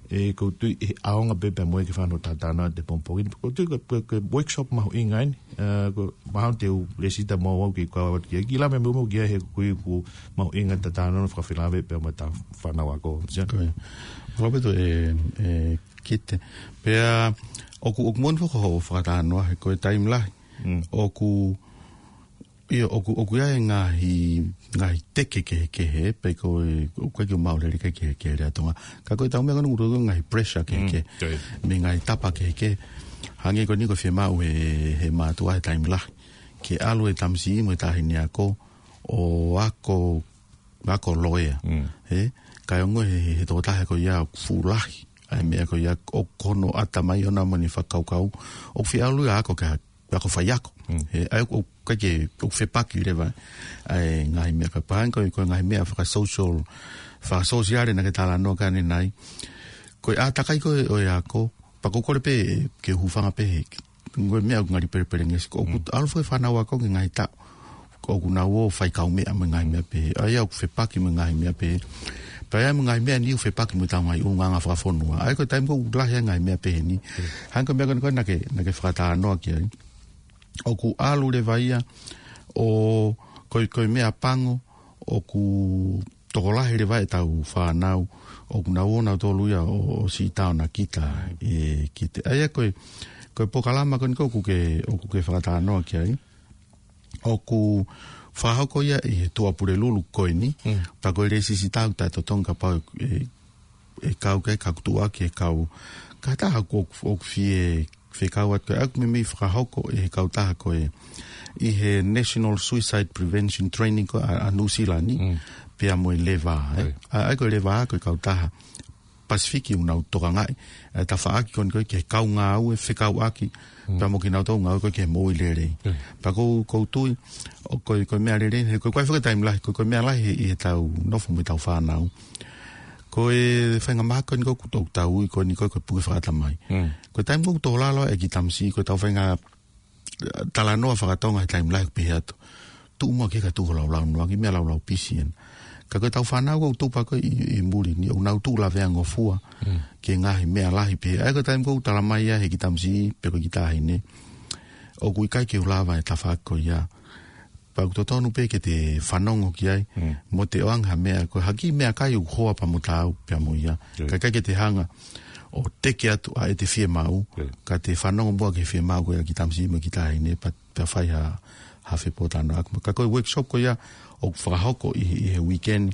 e, ko tui e aonga pē pea mo e ke fano tatano te pompongin. Ko tui ko, ko, ko workshop mahuʻinga eni, e, ko mahau te u lesita mo au ki kau atu ki, ki lame mo mo ki he kui ku mahuʻinga tatano fakafilave pea mo ta fānau ako. Ko e. Fakapito e, e, kite. Pea, ʻoku, ʻoku moni fakaho fakatanoa, he ko e taimi lahi. ʻOku, ʻIo, ʻoku, ʻoku ʻi ai e ngaahi, ngaahi teke kehekehe, pe ko e, ʻoku ʻikai ke maʻu lele kehekehe lea Tonga. Ka ko e tau meʻa ko eni ʻoku ʻi ai e ngaahi pressure kehekehe, mo e ngaahi tapa kehekehe. Hangē ko eni ko e fiemaʻu he, he mātuʻa he taimi lahi. Ke ʻalu e tamasiʻi mo e taʻahine ako, ʻo ako, ako loea. He, ka ʻi ongo he, he, he tokotaha ko ia fuʻu lahi. ʻA e meʻa ko ia ʻoku hono ʻatamai ʻona mo ʻene fakakaukau. ʻOku fie ʻalu ia ako ke ha, ako faiako. He, ʻa ia ʻoku ʻikai ke, ʻoku fepaki leva ʻa e ngaahi meʻa ka pahan ko e, ko e ngaahi meʻa fakasocial, fakasosiale naʻa ke talanoa ki ai ʻanenai. Ko e ʻātakai ko ē ʻo e ako, pea ʻoku kole pē ke hūfanga pē he, ko e meʻa ʻoku ngali pelepelengesi, ko ʻoku ʻalu foki e fānau ako ki he ngaahi taʻu. ʻOku nau ō fai kaumeʻa mo e ngaahi meʻa pehē. ʻA ia ʻoku fepaki mo e ngaahi meʻa pehē. Pea ʻi ai mo e ngaahi meʻa ni ʻoku fepaki mo e tau ngaahi ʻulungaanga fakafonua. ʻA ia ko e taimi ko ē ʻoku lahi ai e ngaahi meʻa pehē ni. Hangē ko e meʻa ko eni ko ē naʻa ke, naʻa ke fakatanoa ki ai. ʻOku ʻalu leva ia ʻo ko e, ko e meʻa pango, ʻoku tokolahi leva e tau fānau, ʻoku nau ō nautolu ia ʻo, ʻo siʻi taonakita, e, ki te. ʻA ia ko e, ko e polokalama ko eni ko ē ʻoku ke, ʻoku ke fakatanoa ki ai. ʻOku fakahoko ia ʻi he Tuʻapulelulu ko eni, pea ko e lēsisita ʻoku taʻetotongi kapau ʻe, ʻe kau ke ka kutuʻaki e kau. Ka taha ʻoku, ʻoku fie, fie kau atu ke ʻaku meimei fakahoko ʻe he kautaha ko ē ʻi he National Suicide Prevention Training ko ē ʻa, ʻa Nuʻusila ni, pea mo e Leva, ē. ʻA ia ko e Leva ko e kautaha Pasifiki ʻoku nau tokangaʻi e tafaʻaki ko eni ko ē ki he kau ngāue fekauʻaki, pea mo kinautolu ngāue ko ē ki he moʻui lelei. Pea ʻoku ou, ʻoku ou tui, ʻoku, ko e, ko e meʻa lelei, he ko e, ko e fakatātā lahi, ko e, ko e meʻa lahi ʻi he tau nofo mo e tau fānau. Ko e faingamālie ko eni ʻoku tau, tau ui ko eni ko e, ko e puke fakatamai. Ko e taimi ʻoku tō lalo e kiʻi tamasiʻi, ko e tau fainga talanoa fakatonga he taimi lahi pehē atu. Tuʻu muʻa ke ka tuʻu laulau noa ki he meʻa laulau pisi ena. Ka ko e tau fānau ʻoku tupa ko ē ʻi, ʻi muli ni ʻoku nau tuʻu lavea ngofua ki he ngaahi meʻa lahi pehē. ʻA ia ko e taimi ʻoku talamai ia he kiʻi tamasiʻi pe ko e kiʻi taʻahine, ʻoku ʻikai ke u lava e tafaʻaki ko ia. Pea ʻoku totonu pē ke te fanongo ki ai, mo te ʻoange ha meʻa, ko e hā e kiʻi meʻakai ʻoku hoa pea mo taau pea mo ia. Ka ʻikai ke te hanga ʻo teke atu ʻa ʻete fiemaʻu, ka te fanongo muʻa ki he fiemaʻu ko ia kiʻi tamasiʻi mo e kiʻi taʻahine, pea, pea fai ha, ha fepōtalanoaʻaki. Ka ko e workshop ko ia ʻoku fakahoko ʻi, ʻi he weekend,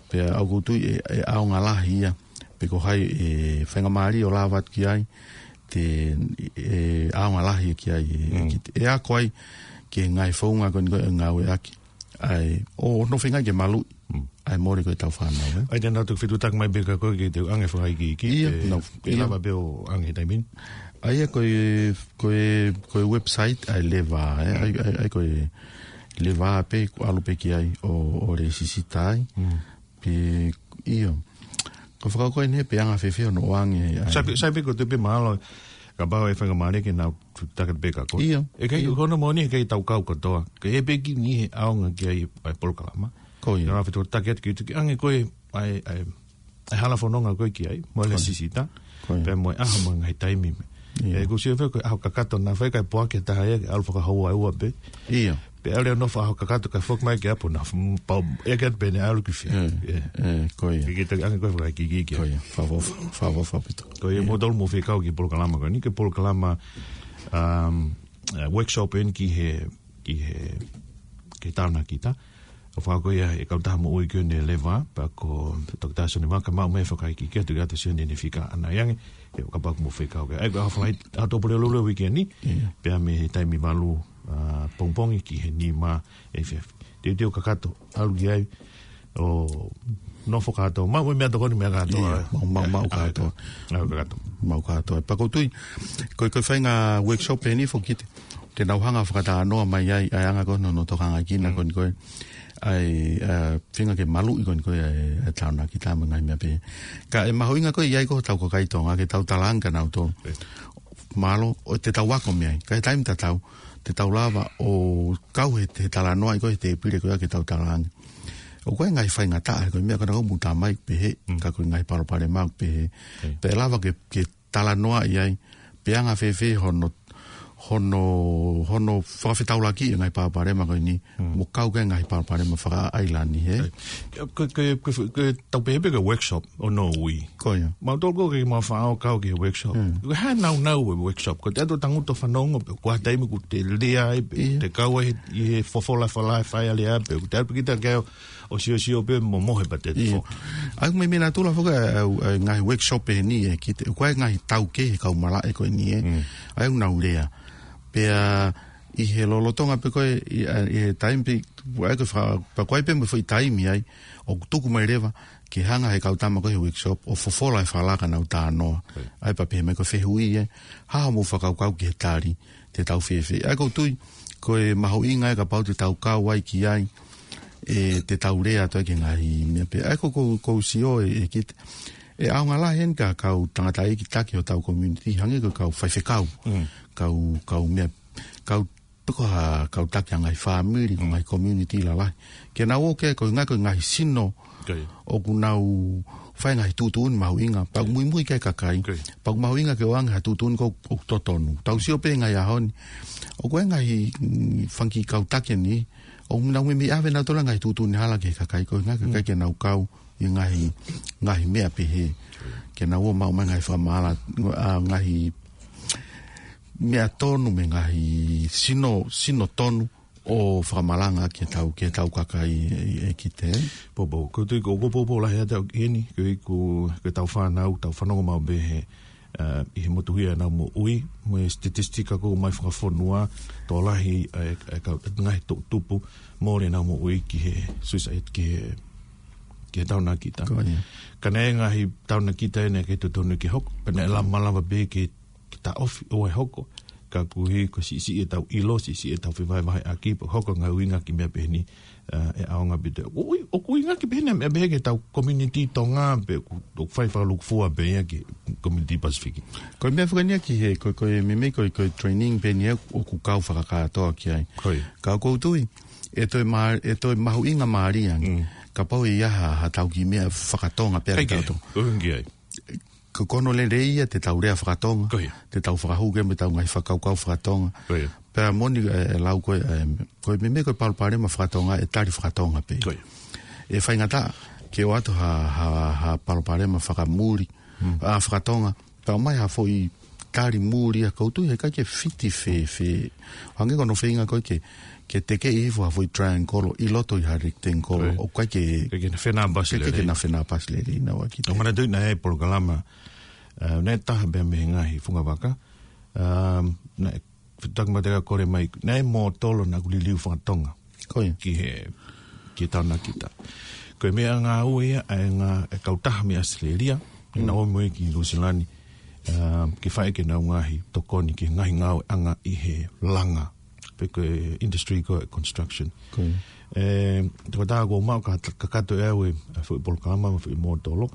pea ʻoku ou tui ʻe, ʻe ʻaonga lahi ia, pe ko hai ʻe faingamālie ʻo lava atu ki ai, te, ʻe ʻaonga lahi ki ai, ʻe, ki te, ʻe ako ai ki he ngaahi founga ko eni ko ē ʻe ngāueʻaki. ʻA ia, ʻo, ʻo nofo ai ke maluʻi. ʻA ia mole ko e tau fānau, ē? ʻA ia, te nau toki fetuʻutaki mai pē kia koe ke te ʻoange fakaikiiki, ʻe, ʻe lava pē ʻo ʻoange he taimi ni. ʻA ia, ko e, ko e, ko e website, ʻa ia Leva, ē? ʻA ia, ʻa ia, ʻa ia, ko e Leva pē, ʻoku ʻalu pē ki ai ʻo, ʻo lēsisita ai. Pe, ʻio. Ko e fakakaukau eni pe anga fēfē hono ʻoange, ʻa ia. Sai pē, sai pē ko e tuʻu pē mahalo, kapau ʻe faingamālie ke nau fetuʻutaki pē kia koe. ʻIo. ʻE ʻikai, ʻio, ko hono moʻoni he ʻikai tau kau kotoa. Ka ʻe pē ki ni he ʻaonga ki ai ʻa e polokalama. Ko ia. Nau fetuʻutaki atu ki tuʻu ki ʻange ko e, ʻa e, ʻa e, ʻa e hala fononga ko ē ki ai, mo e lēsisita. Ko ia. Pea mo e ʻaho mo e ngaahi taimi. ʻIo. ʻE, ʻoku ou sio pē ko e ʻaho kakato naʻa faifai poaki taha ia, ʻalu fakahoua ʻe ua pē. ʻIo. Pea ʻalu ʻo nofo ʻaho kakato kae foki mai ki ʻapi naʻa, mm, pau, ʻe ke atu pē ne ʻalu ki fē. ʻE, ʻe, ko ia. Ke, ke te ʻange ko e fakaikiiki ki ai. Ko ia, fakaʻofa, fakaʻofa ʻaupito. Ko ia, mou tolu mou fekau ki he polokalama ko eni, ko e polokalama, um, uh, workshop eni ki he, ki he, ki he taonakita. ʻOku fakahoko ia ʻe he kautaha moʻui ko eni Leva, pea ko Toketā Sione Vaka, maʻu mai e fakaikiiki atu kia Toketā Sione ne fika ʻanai ange, ʻe kapau ʻoku mou fekau ki ai. ʻA ia, ko e ʻaho Falaite, ʻaho Tuʻapulelulu weekend ni, pea mei he taimi valu, uh, pongipongi ki he nima efiafi. Teuteu kakato, ʻalu ki ai, ʻo nofo kātoa. Maʻu e meʻatokoni meʻa kātoa, Ia, ē? maʻu, maʻu, maʻu Ā, kātoa. ā, kātoa. Maʻu kātoa. Pea ʻoku ou tui, ko e, ko e faʻahinga workshop eni foki te, te nau hanga fakatalanoa mai ai, ʻa e anga ko ē hono tokanga ki he Mm. ko eni ko ē. ʻA e, ā, feinga ke maluʻi ko eni ko ē, ʻa e, ʻa e tānaki tā mo e ngaahi meʻa pehē. Ka ʻe mahuʻinga ko ē ʻi ai ko ē hotau kakai Tonga, ke tau talaange kia nautolu. Ē. Mālō, ʻo te tau ako mei ai. Ka ʻi he taimi tatau, te tau lava ʻo kau he, he talanoaʻi ko ē he tēpile ko ē ke tau talaange. ʻOku ʻi ai e ngaahi faingataʻa, ko e meʻa ko ena ʻoku mou tā mai pehē, Mm. ka ko e ngaahi palopalema pehē. Ē. Pea lava ke, ke talanoaʻi ai, pe anga fēfē hono, hono, hono fakafetaulaki e ngaahi palopalema ko eni, Mm. mo kau ki he ngaahi palopalema fakaʻailani, ē? Ē. Ko, ko, ko, ko, ko e tau pehē pē ko e workshop ʻo nau ui. Ko ia. Mautolu ko ē ke mau faʻa ō kau ki he workshop. Mm. Ko e hā e naunau e workshop? Ko e te ʻatu ʻo tangutu ʻo fanongo, pe ko e hā e taimi ʻoku te lea ai, pe Ia. te kau ai ʻi he fofola falala e fai ʻa e lea, pe ʻoku te ʻatu pē kita ke ʻo siosio pē mo mohe pē te Ia. fo. ʻA ia ʻoku meimei natula foki ʻa e, ʻa e, ʻa e ngaahi workshop eni ē, ki he, ko e ngaahi taukei he kau malaʻe ko eni ē. Mm. ʻA ia ʻoku nau lea. Pea ʻi he lolotonga pē ko ē, ʻi, ʻa, ʻi he taimi pē, ʻa ia ko e fa-, pea ko e pē mo e foʻi taimi ai, ʻoku tuku mai leva, ke hanga he kau tama ko ē he workshop, ʻo fofola e falala kia nau talanoa. Right. ʻA ia pea pehē mai ko e fehuʻi ē, hā hoʻomou fakakaukau ki he tali, te tau fēfē. ʻA ia ʻoku ou tui, ko e mahuʻinga ē kapau te tau kau ai ki ai, ē, te tau lea atu ai ki he ngaahi meʻa pehē. ʻA ia ʻoku ou, ʻoku ou sio ē, ē ki he, ʻe ʻaonga lahi eni ki he kau tangataʻeiki taki hotau community, hangē ko e kau faifekau, Mm. kau, kau meʻa, kau, pe ko ha kau taki ʻa e ngaahi fāmili, ko e Mm. ngaahi community lalahi. Ke nau ō ki ai ko e ngaahi, ko e ngaahi sino, Ko ia. ʻoku nau fai e ngaahi tuʻutuʻuni mahuʻinga, pea ʻoku muimui ki ai e kakai. Ko ia. Pea ʻoku mahuʻinga ke ʻoange ha tuʻutuʻuni ʻoku, ʻoku totonu. Tau sio pē he ngaahi ʻaho ni. ʻOku ʻi ai e ngaahi, mm, fanga kiʻi kau taki eni, ʻoku nau meimei ʻave nautolu e ngaahi tuʻutuʻuni hala ki he kakai, ko e ngaahi kakai Mm. ke nau kau ʻi he ngaahi, ngaahi meʻa pehē. Ke nau ō ʻo maʻu mai e ngaahi fakamaʻala, ʻa, ngaahi meʻa tonu mo e ngaahi sino, sino tonu ʻo fakamalanga ki he tau, ki he tau kakai ē, ē ki he. Poupou, ʻoku ou tui ko, ko e poupou lahi ʻa e tau eni, ko e, ko e, ko e tau fānau, tau fanongo maʻu pē he, ā, ʻi he motuhia ʻenau moʻui, mo e statistika ko ē mai fakafonua, tokolahi, ē, ē, kau, ngaahi toʻutupu, mole ʻenau moʻui ki he suicide, ki he, ki he taonakita. Ko ia. Ka naʻe ngaahi taonakita ʻe naʻe ʻikai totonu ke hoko, pea naʻe lava malava pē ke, ke taʻofi ʻo ʻai hoko. Ka koeʻuhi ko e siʻisiʻi ʻetau ʻilo, siʻisiʻi ʻetau fevahevaheʻaki, pea hoko e ngaahi ʻuhinga ki he meʻa pehē ni, ā, ʻe ʻaonga pē te. ʻOku ʻi, ʻoku ʻuhinga ki he pehē ni, meʻa pehē ki he tau community Tonga pē, ʻoku, ʻoku fai fakalūkufua pē ia ki he community Pasifiki. Ko e meʻa foki eni ia ki he, ko, ko e meimei ko, ko e training pē eni ia ʻoku kau fakakātoa ki ai. Ko ia. Ka ʻoku ou tui, ʻe toe mā-, ʻe toe mahuʻinga mālie ange. Mm. Kapau ʻe ʻi ai ha, ha tau kiʻi meʻa fakatonga pē ʻikai ke, ʻikai ke tau. ʻOku ʻikai ke. Ko, ko hono lelei ia te tau lea fakatonga. Ko ia. Te tau fakahū ki ai mo ʻetau ngaahi fakakaukau fakatonga. Ko ia. Pea moʻoni, ē, ʻe lau ko ē, ē, ko e meimei ko e palopalema fakatonga, ʻe tali fakatonga pē. Ko ia. ʻE faingataʻa, ke ʻoatu ha, ha, ha palopalema fakamuli, Mm. ʻa fakatonga, tau mai ha foʻi tali muli ʻa ʻoku ou tui heʻikai ke fiti fēfē. Hangē ko hono feinga ko ē ke, ke tekeʻi hifo ha foʻi triangle ʻi loto ʻi ha rectangle. Right. ʻOku ʻikai ke, ʻIkai ke na fenāpasi ʻikai ke lelei. na fenāpasi lelei naua ki he. ʻOku ou manatuʻi naʻe ʻi ai e polokalama, ā, naʻe taha pē mei he ngaahi fungavaka. Ā, naʻe fetaki mate ka kole mai, naʻe mōtolo naʻa ku liliu fakatonga. Ko ia. Ki he, ki he taonakita. Ko e meʻangāue ia, ʻa e ngaahi, e kautaha mei ʻAositelēlia, Mm. naʻa nau ō mo ia ki Nuʻusila ni, ā, ke fai ʻenau ngaahi tokoni ki he ngaahi ngāueʻanga ʻi he langa. Pe ko e industry ko e construction. Ko ia. Ē, tokotaha kuo maʻu ka, kakato ʻe au e, ʻa e foʻi polokalama mo e foʻi mōtolo.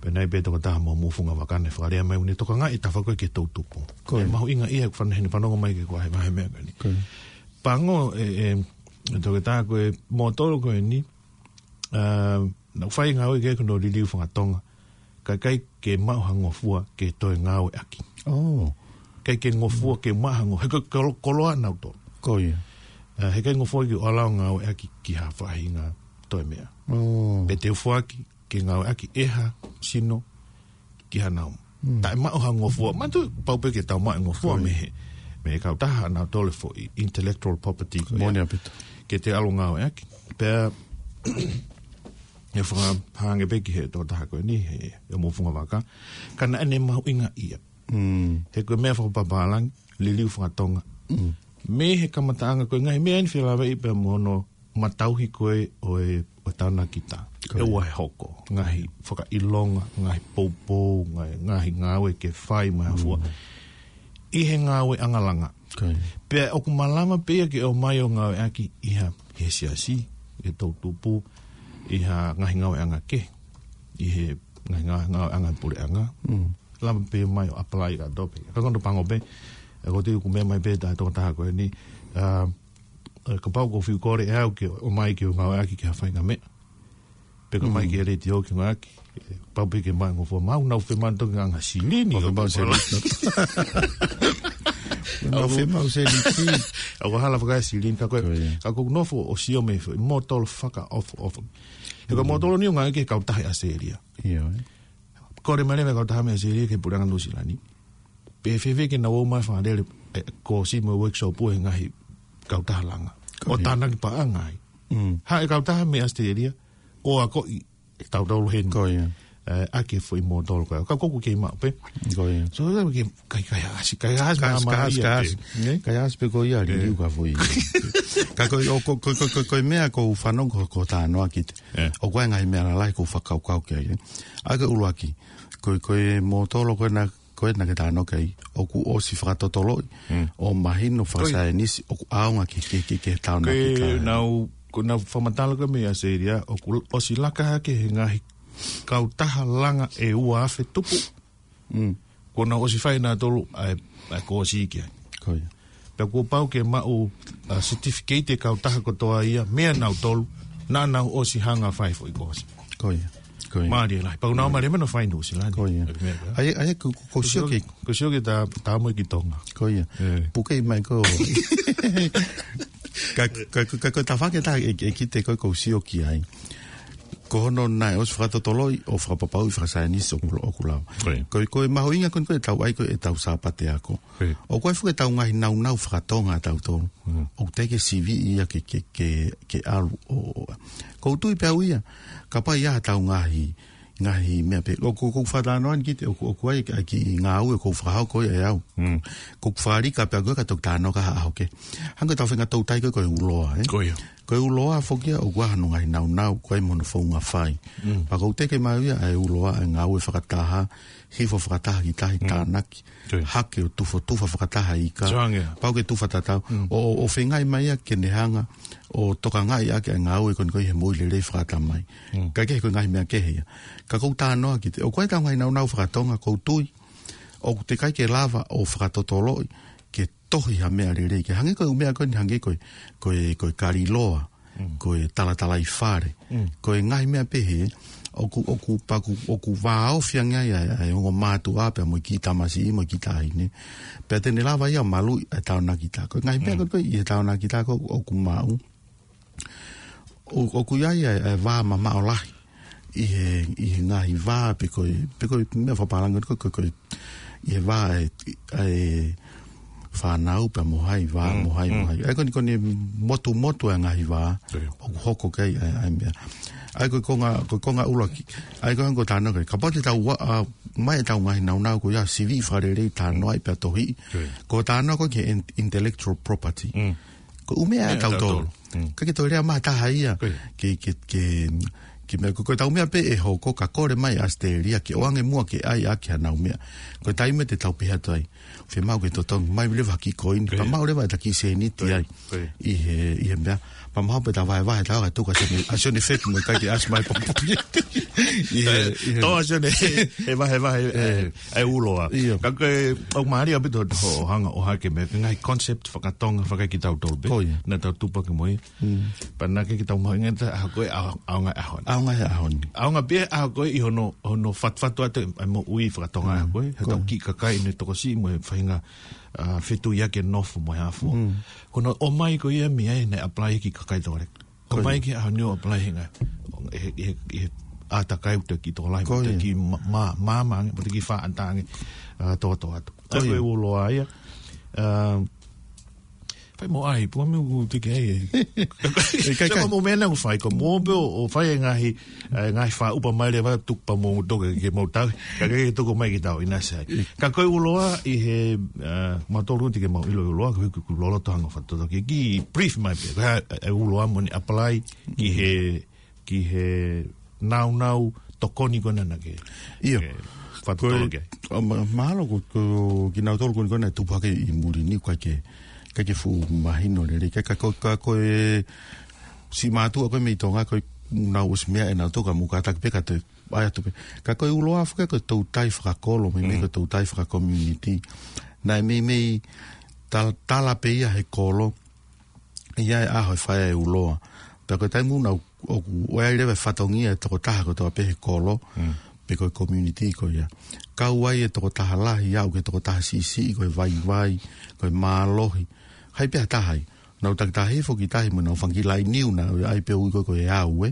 Pea naʻe ʻi ai pē tokotaha mei homou fungavaka naʻe fakalea mai ʻoku ne tokangaʻi e tafa ko ē ki he toʻutupu. Ko ia. ʻE mahuʻinga ia ʻoku fana heni fanongo mai ki he kau vahevahe meʻa ko eni. Ko ia. Pango, ē, ē, ʻe tokotaha ko e mōtolo ko eni, ā, naʻa ku fai ngāue ki ai ko hono liliu fakatonga. Ka ʻikai ke maʻu ha ngofua ke toe ngāueʻaki. Oh. ʻIkai ke ngofua ke maʻu ha ngo-, he ko e kolo-, koloa nautolu. Ko ia. Ā, heʻikai ngofua ke ʻalu ʻo ngāueʻaki ki ha faʻahinga toe meʻa. Oh. Pea te u foaki ke ngāueʻaki ʻe ha sino ki ha nau. Mm. Taʻe maʻu ha ngofua, manatuʻi pau pē ke tau maʻu e ngofua Ko ia. mei he, mei he kautaha nautolu e foʻi intellectual property ko ia. Moʻoni ʻaupito. Ke te ʻalu ʻo ngāueʻaki. Pea, ʻe fakahā ange pē ki he tokotaha ko eni, he, he homou fungavaka. Ka naʻa ne mahuʻingaʻia. Mm. He ko e meʻa fakapapālangi, liliu fakatonga. Mm. Mei he kamataʻanga ko e ngaahi meʻa eni felāveʻi pea mo hono matauhi ko ē ʻo e, ʻo e tānakita. Ko ia. ʻE ua he hoko. Ngaahi fakaʻilonga, ngaahi poupou, ngaahi, ngaahi ngāue ke fai mo e hā fua. Mm. ʻI he ngāueʻanga langa. Ko ia. Pea ʻoku malava pē ia ke ʻomai ʻo ngāueʻaki ʻi ha, he siasi, he toʻutupu, ʻi ha ngaahi ngāueʻanga kehe, ʻi he ngaahi ngā-, ngāueʻanga puleʻanga. Mm. Lava pē mai ʻo apply ka tope. Ka ko hono pango pē, ʻe ko te u ku meʻa mai pē tā tokotaha ko eni, ʻa, ʻe, kapau ʻoku ou fiu kole ʻe au ke ʻomai ke u ngāueʻaki ki ha faʻahinga meʻa. Pe ko mai Mm. ki he letiō ke ngāueʻaki. ʻE, pau pē ke maʻu e ngofua, maʻu nau femau toki nganga silini. Ko femau silini. Nau femau silini. ʻOku hala fakae silini, ka ko e, Ko ia. ka ko e nofo ʻo sio mei he mōtolo fakaʻofoʻofa. He ko e Mm. mōtolo ni ʻoku ngāueʻaki ʻe he kautaha ʻi ʻAositelēlia. ʻIo, ē. Kole mai leva e kautaha mei ʻAositelēlia ki he puleʻanga Nuʻusila ni. Pe fēfē ke nau ō mai fakalele, ʻe, kōsi mo e workshop ʻa e ngaahi kautaha langa. Ko ʻO ia. tānaki paʻanga ai. Mm. Haʻu e kautaha mei ʻAositelēlia, ʻo akoʻi ʻe tautolu heni. Ko ia. ʻE, ʻaki e foʻi mōtolo ko ia. Ka ʻoku kei maʻu pē. Ko ia. So, ʻoku ke kai, kaihaʻasi, kaihaʻasi Kaihaʻasi, māmā kaihaʻasi, ia kaihaʻasi. pē. Ne? Kaihaʻasi pē ko ia, Ko ia. liliu ka foʻi. Ka ko e, ʻo, ko, ko e meʻa ʻoku ou fanongo ko, ko e talanoa ki ai. ʻE. ʻOku ʻi ai e ngaahi meʻa lalahi ʻoku ou fakakaukau ki ai. ʻA ia ko e ʻuluaki. Ko e, ko e mōtolo ko ena, ko ena ke talanoa ki ai. ʻOku ʻosi fakatotoloʻi. Mm. ʻO mahino Ko ia. fakasaienisi. ʻOku ʻaonga ki, ki, ki, ki he tānaki Ko e ka. nau, ko e nau fakamatala ko ē mei ʻAositelēlia, ʻoku ʻosi laka hake he ngaahi kautaha langa ʻe ua afe tupu. Mm. Ko e nau ʻosi fai nautolu ʻa e, ʻa e kōsi ki ai. Ko ia. Pea kuo pau ke maʻu, ʻa, certificate e kautaha kotoa ia, meia nautolu, naʻa nau ʻosi hanga fai foʻi kōsi. Ko ia. Ko ia. Mālie lahi. Pau nau mālie mena fai Nuʻusila ni. Ko ia. Ko e meʻa, ʻA ia, ʻa ia, ko, ko, ko Ko sio sio ke ki, ko sio ki tā, tā mo e ki Tonga. Ko ia. ʻE. Puke mai ko. Ka, ka, ka, ka, ka tafake tā e, e ki te ko, ko sio ki ai. Ko hono naʻe ʻosi fakatotoloʻi ʻo fakapapauʻi fakasaienisi ʻoku, ʻoku lau. Ko ia. Ko, ko e mahuʻinga ko eni ko e tau ʻai ko e tau Sāpate ako. Ko ia. ʻOku ʻi ai foki e tau ngaahi naunau fakatonga ʻa tautolu. Mm. ʻOku teʻeki ke sivi ia ke, ke, ke, ke ʻalu ʻo, ʻo, ʻo. Ko u tui pē au ia, kapau ʻe ʻi ai ha tau ngaahi ngaahi meʻa pē. ʻOku, ʻoku ou fakatalanoa ni ki te, ʻoku, ʻoku ʻi ai, ʻa e kiʻi ngāue ʻoku ou fakahoko ʻe au. Mm. ʻOku ou fakalika pē au ko e ka toki talanoa ki ai ha ʻaho kehe. Hangē ko e tau faʻahinga toutai ko e, ko e uloa, ē? Ko ia. Ko e uloa foki ia, ʻoku ʻi ai hono ngaahi naunau, ʻoku ʻi ai mo hono founga fai. Mm. Pea ʻoku ou teke mai au ia, ʻa e uloa, ʻa e ngāue fakataha, hifo fakataha ki tahi Mm. tānaki. Ko ia. Hake ʻo tufotufa fakataha ika. Sio ange. Pau ke tufa tatau. Mm. ʻO, ʻo, ʻo feingaʻi mai ia ke ne hanga ʻo tokangaʻi ʻaki ʻa e ngāue ko eni ko e he moʻui lelei fakatamai. Mm. Ka ke ko e ngaahi meʻa kehe ia. Ka ʻoku ou talanoa ki te, ʻoku ʻi ai e tau ngaahi naunau fakatonga, ko u tui, ʻoku teʻeki ai ke lava ʻo fakatotoloʻi, ke tohi ha meʻa lelei. Ke hangē ko e ʻū meʻa ko eni hangē ko e, ko e, ko e kaliloa. Mm. Ko e talatalaifale. Mm. Ko e ngaahi meʻa pehē, ʻoku, ʻoku paku, ʻoku vāofi ange ai, ʻa e, ʻa e ongo mātuʻa pea mo e kiʻi tamasiʻi mo e kiʻi taʻahine. Pea te ne lava ia maluʻi ʻa e taonakita. Ko e ngaahi meʻa Mm. ko ē ʻi he taonakita ko ē ʻoku maʻu. ʻO, ʻoku ʻi ai ʻa e, ʻa e vā mamaʻo lahi. ʻI he, ʻi he ngaahi vā pe ko e, pe ko e meʻa fakapālangi ko e, ko e, ko e, ʻi he vā ʻa e, ʻa e fānau pea mo hai, vā Mm, mo hai, mo mm. hai. ʻA ia ko eni, ko eni motumotu ʻa e ngaahi vā. Ko ia. ʻOku hoko ki ai ʻa e, ʻa e meʻa. ʻA ia ko e konga, ko e konga ʻuluaki. ʻA ia ko e hangē ko e talanoa ko ē. Kapau te tau ua, ʻa, mai e tau ngaahi naunau ko ia sivi fakalelei talanoaʻi pea tohi. Ko ia. Ko e talanoa ko ē ki he in-, intellectual property. Mm. Ko e ʻū meʻa ʻa Meʻa tautolu. tautolu. Mm. Ka ke toe lea mai ha taha ia. Ko ia. Ke, ke, ke, ke meʻa ko, ko e tau meʻa pē ʻe hoko ka kole mai ʻAositelēlia ke ʻoange muʻa ke ʻai ʻaki hanau meʻa. Ko e taimi te tau pehē atu ai. Fiemaʻu ke totongi mai leva ha kiʻi koini. Ko ia. Pea maʻu leva ʻeta kiʻi sēniti Ko ia. ai. Ko ia. ʻI he, ʻi he meʻa. Pea maʻu pē ʻeta vahevahe ʻeta ʻoka tuka Sione, ʻa Sione Feki mo e kai ke ʻasi mai popo. ʻI he, ʻi he Tō ʻa Sione, he vahevahe, ʻe, ʻe uloa. ʻIo. Ka ko e, ʻoku mālie ʻaupito hoʻo hanga ʻo hake meʻa, ngaahi concept fakatonga fakaekitautolu pē. Ko ia. Naʻa tau tupaki mo ia. Mm. Pea naʻe ʻikai ke tau mahuʻingaʻia ʻa e ʻaho ko ē, ʻa-, ʻaonga ʻaho ni. ʻAonga he ʻaho ni. ʻAonga pē ʻaho ko ē ʻi hono, hono fatufatu atu ʻa e moʻui fakatonga Mm. ʻaho ko ē. He Ko tau ia. kiʻi kakai ne tokosiʻi mo e faʻahinga, ʻa, fetuʻutaki e nofo mo e hā fua. Mm. Ko hono ʻomai ko ia mei ai naʻe apply ki he kakai tokolahi. Ko ia. ʻOmai ki he ʻaho ni ʻo apply he ngaahi, he, he, he ʻātakai ʻoku te kiʻi tokolahi, Ko ʻoku te ia. kiʻi mā-, mā-, māmā ange, ʻoku te kiʻi faʻa ʻatā ange, ʻa, tōtōatu. Ko ʻA ia ko ia. e uloa ia, ʻa, Fai mo ai, pua me u tiki ai. E kai, kai. Mo mena u fai, ko mo pe o, o fai e ngaahi, e ngaahi fa upa mai leva tuku pa mo toka ke mo tau. Ka ke tuku mai ki tau ina sai. Ka ko e uloa ʻi he, uh, ma tolu tiki mau ʻilo uloa, ko e ku lolo to hanga fatoto ki, ki brief mai pe. Ko e, e uloa mo ni apply ki he, ki he naunau tokoni ko ena ke. Io. Ke fatoto ke. Ko e, o ma-, mahalo ko, ko kinautolu ko ena ko ena tupu hake ʻi muli ni ko e ke, ke ke fuʻu mahino lelei. Ka, ka ko, ka ko e si mātuʻa ko e mei Tonga ko e nau ʻosi meʻa ʻe nau toka mu ka taki pe ka te, ʻai atu pe. Ka ko e uloa foki ko e toutai fakakolo, mei mei ko e toutai fakakomiunitī. Naʻe mei mei tal-, tala pe ia he kolo, ʻi ai e ʻaho e fai e uloa. Pea ko e taimi ʻoku nau, ʻoku, ʻoku ʻi ai leva e fatongia e tokotaha kotoa pe he kolo, pe ko e komiunitī ko ia. Kau ai e tokotaha lahi, aʻu ki he tokotaha siʻisiʻi, ko e vaivai, ko e mālohi. Hai pe ha taha ai. Nau takitaha hifo ki tahi mo nau fanga kiʻi laini ʻoku nau ʻai pe ui ko e, ko e au, ē.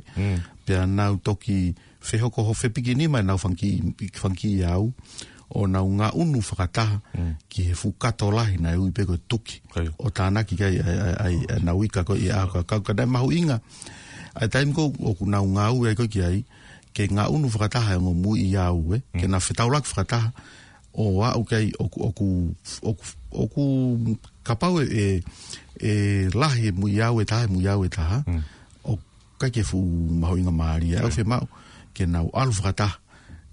Pea nau toki fehoko ho fepikinima ʻenau fanga kiʻi, fanga kiʻi au, ʻo nau ngaʻunu fakataha ki he fuʻu kato lahi naʻe ui pe ko e tuki. Kai. ʻO tānaki ki ai, ai, ai, ai, ʻenau ika ko e ʻi he ʻaho ka, ka, ka naʻe mahuʻinga. ʻA e taimi ko ʻoku nau ngāue ai ko e ki ai, ke ngaʻunu fakataha e ongo muiʻi au, ē, ke na fetaulaki fakataha, ʻo aʻu ki ai ʻoku, ʻoku, ʻoku, ʻoku kapau e, e, e lahi e muiʻi au ʻe taha, e muiʻi au ʻe taha, ʻoku ʻikai ke fuʻu mahuʻinga mālie. ʻOku fiemaʻu ke nau ʻalu fakataha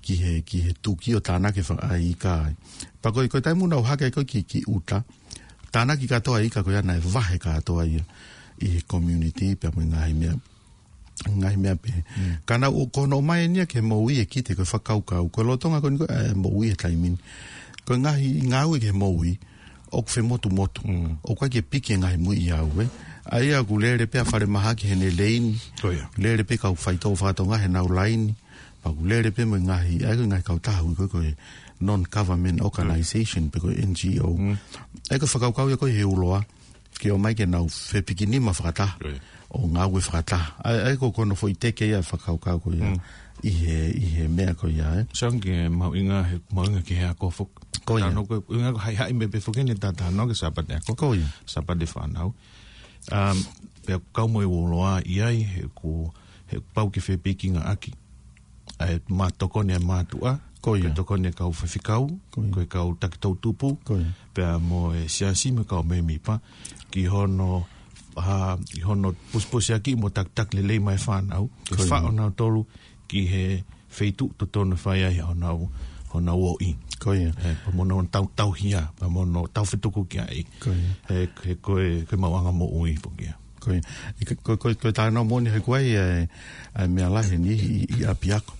ki he, ki he tuki ʻo tānaki fa-, ʻa e ika ai. Pea ko e, ko e taimi ʻoku nau hake ko e ki, ki ʻuta, tānaki kātoa e ika ko ia naʻe vahe kātoa ia ʻi he komiunitī pea mo e ngaahi meʻa, ngaahi meʻa pe. Ka nau ō, ko hono ʻomai eni ia ke moʻui e kite ko e fakakaukau. Ko e lolotonga ko eni ko e, e, moʻui he taimi ni. Ko e ngaahi ngāue ke moʻui, ʻoku femotumotu. ʻOku ʻikai ke piki e ngaahi muiʻi au, ē. ʻA ia ʻoku lele pe ʻa falemahaki heʻene laini. Ko ia. Lele pe kau faitoʻo fakatonga heʻenau laini. Pea ʻoku lele pe mo e ngaahi, ʻa e ngaahi kautaha ʻoku ui ko e, ko e non-government organization, pe ko e N G O. ʻA e ko e fakakaukau ia ko e he uloa. Ke ō mai ke nau fepikinima fakataha. Ko ia. ʻO ngāue fakataha. ʻA e, ʻa e ko, ko hono foʻi teke ia fakakaukau ko ia. ʻI he, ʻi he meʻa ko ia, ē. Sounds like mahuʻinga he, mahuʻinga ki he ako foki. Ko ia. Tano ko, ʻuhinga ko e haʻihaʻi meʻa pe foki eni ta, tano ke Sāpate ako. Ko ia. Sāpate fānau. Um, pea kau mo e uloa ʻi ai, he ko, he pau ke fepikingaʻaki ʻa e ma-, tokoni ʻa e mātuʻa, ko ia, ko e tokoni ʻa e kau faifekau, ko ia, ko e kau taki toʻutupu, ko ia, pea mo e siasi mo e kau mēmipa, ki hono, ha, ki hono pusipusiʻaki mo takitaki lelei mai e fānau, ke, ko ia, faʻo nautolu ki he feituʻu totonu fai ai honau, honau ʻoʻi. Ko ia. Ē, pea mo hono tau, tauhia, pea mo hono tau fetuku ki ai. Ko ia. Ē, he ko e, ko e maʻuʻanga moʻui foki ia. Ko ia. ʻI he, ko, ko, ko e talanoa moʻoni he ko e, ē, ʻa e meʻa lahi eni ʻi, ʻi ʻapiako.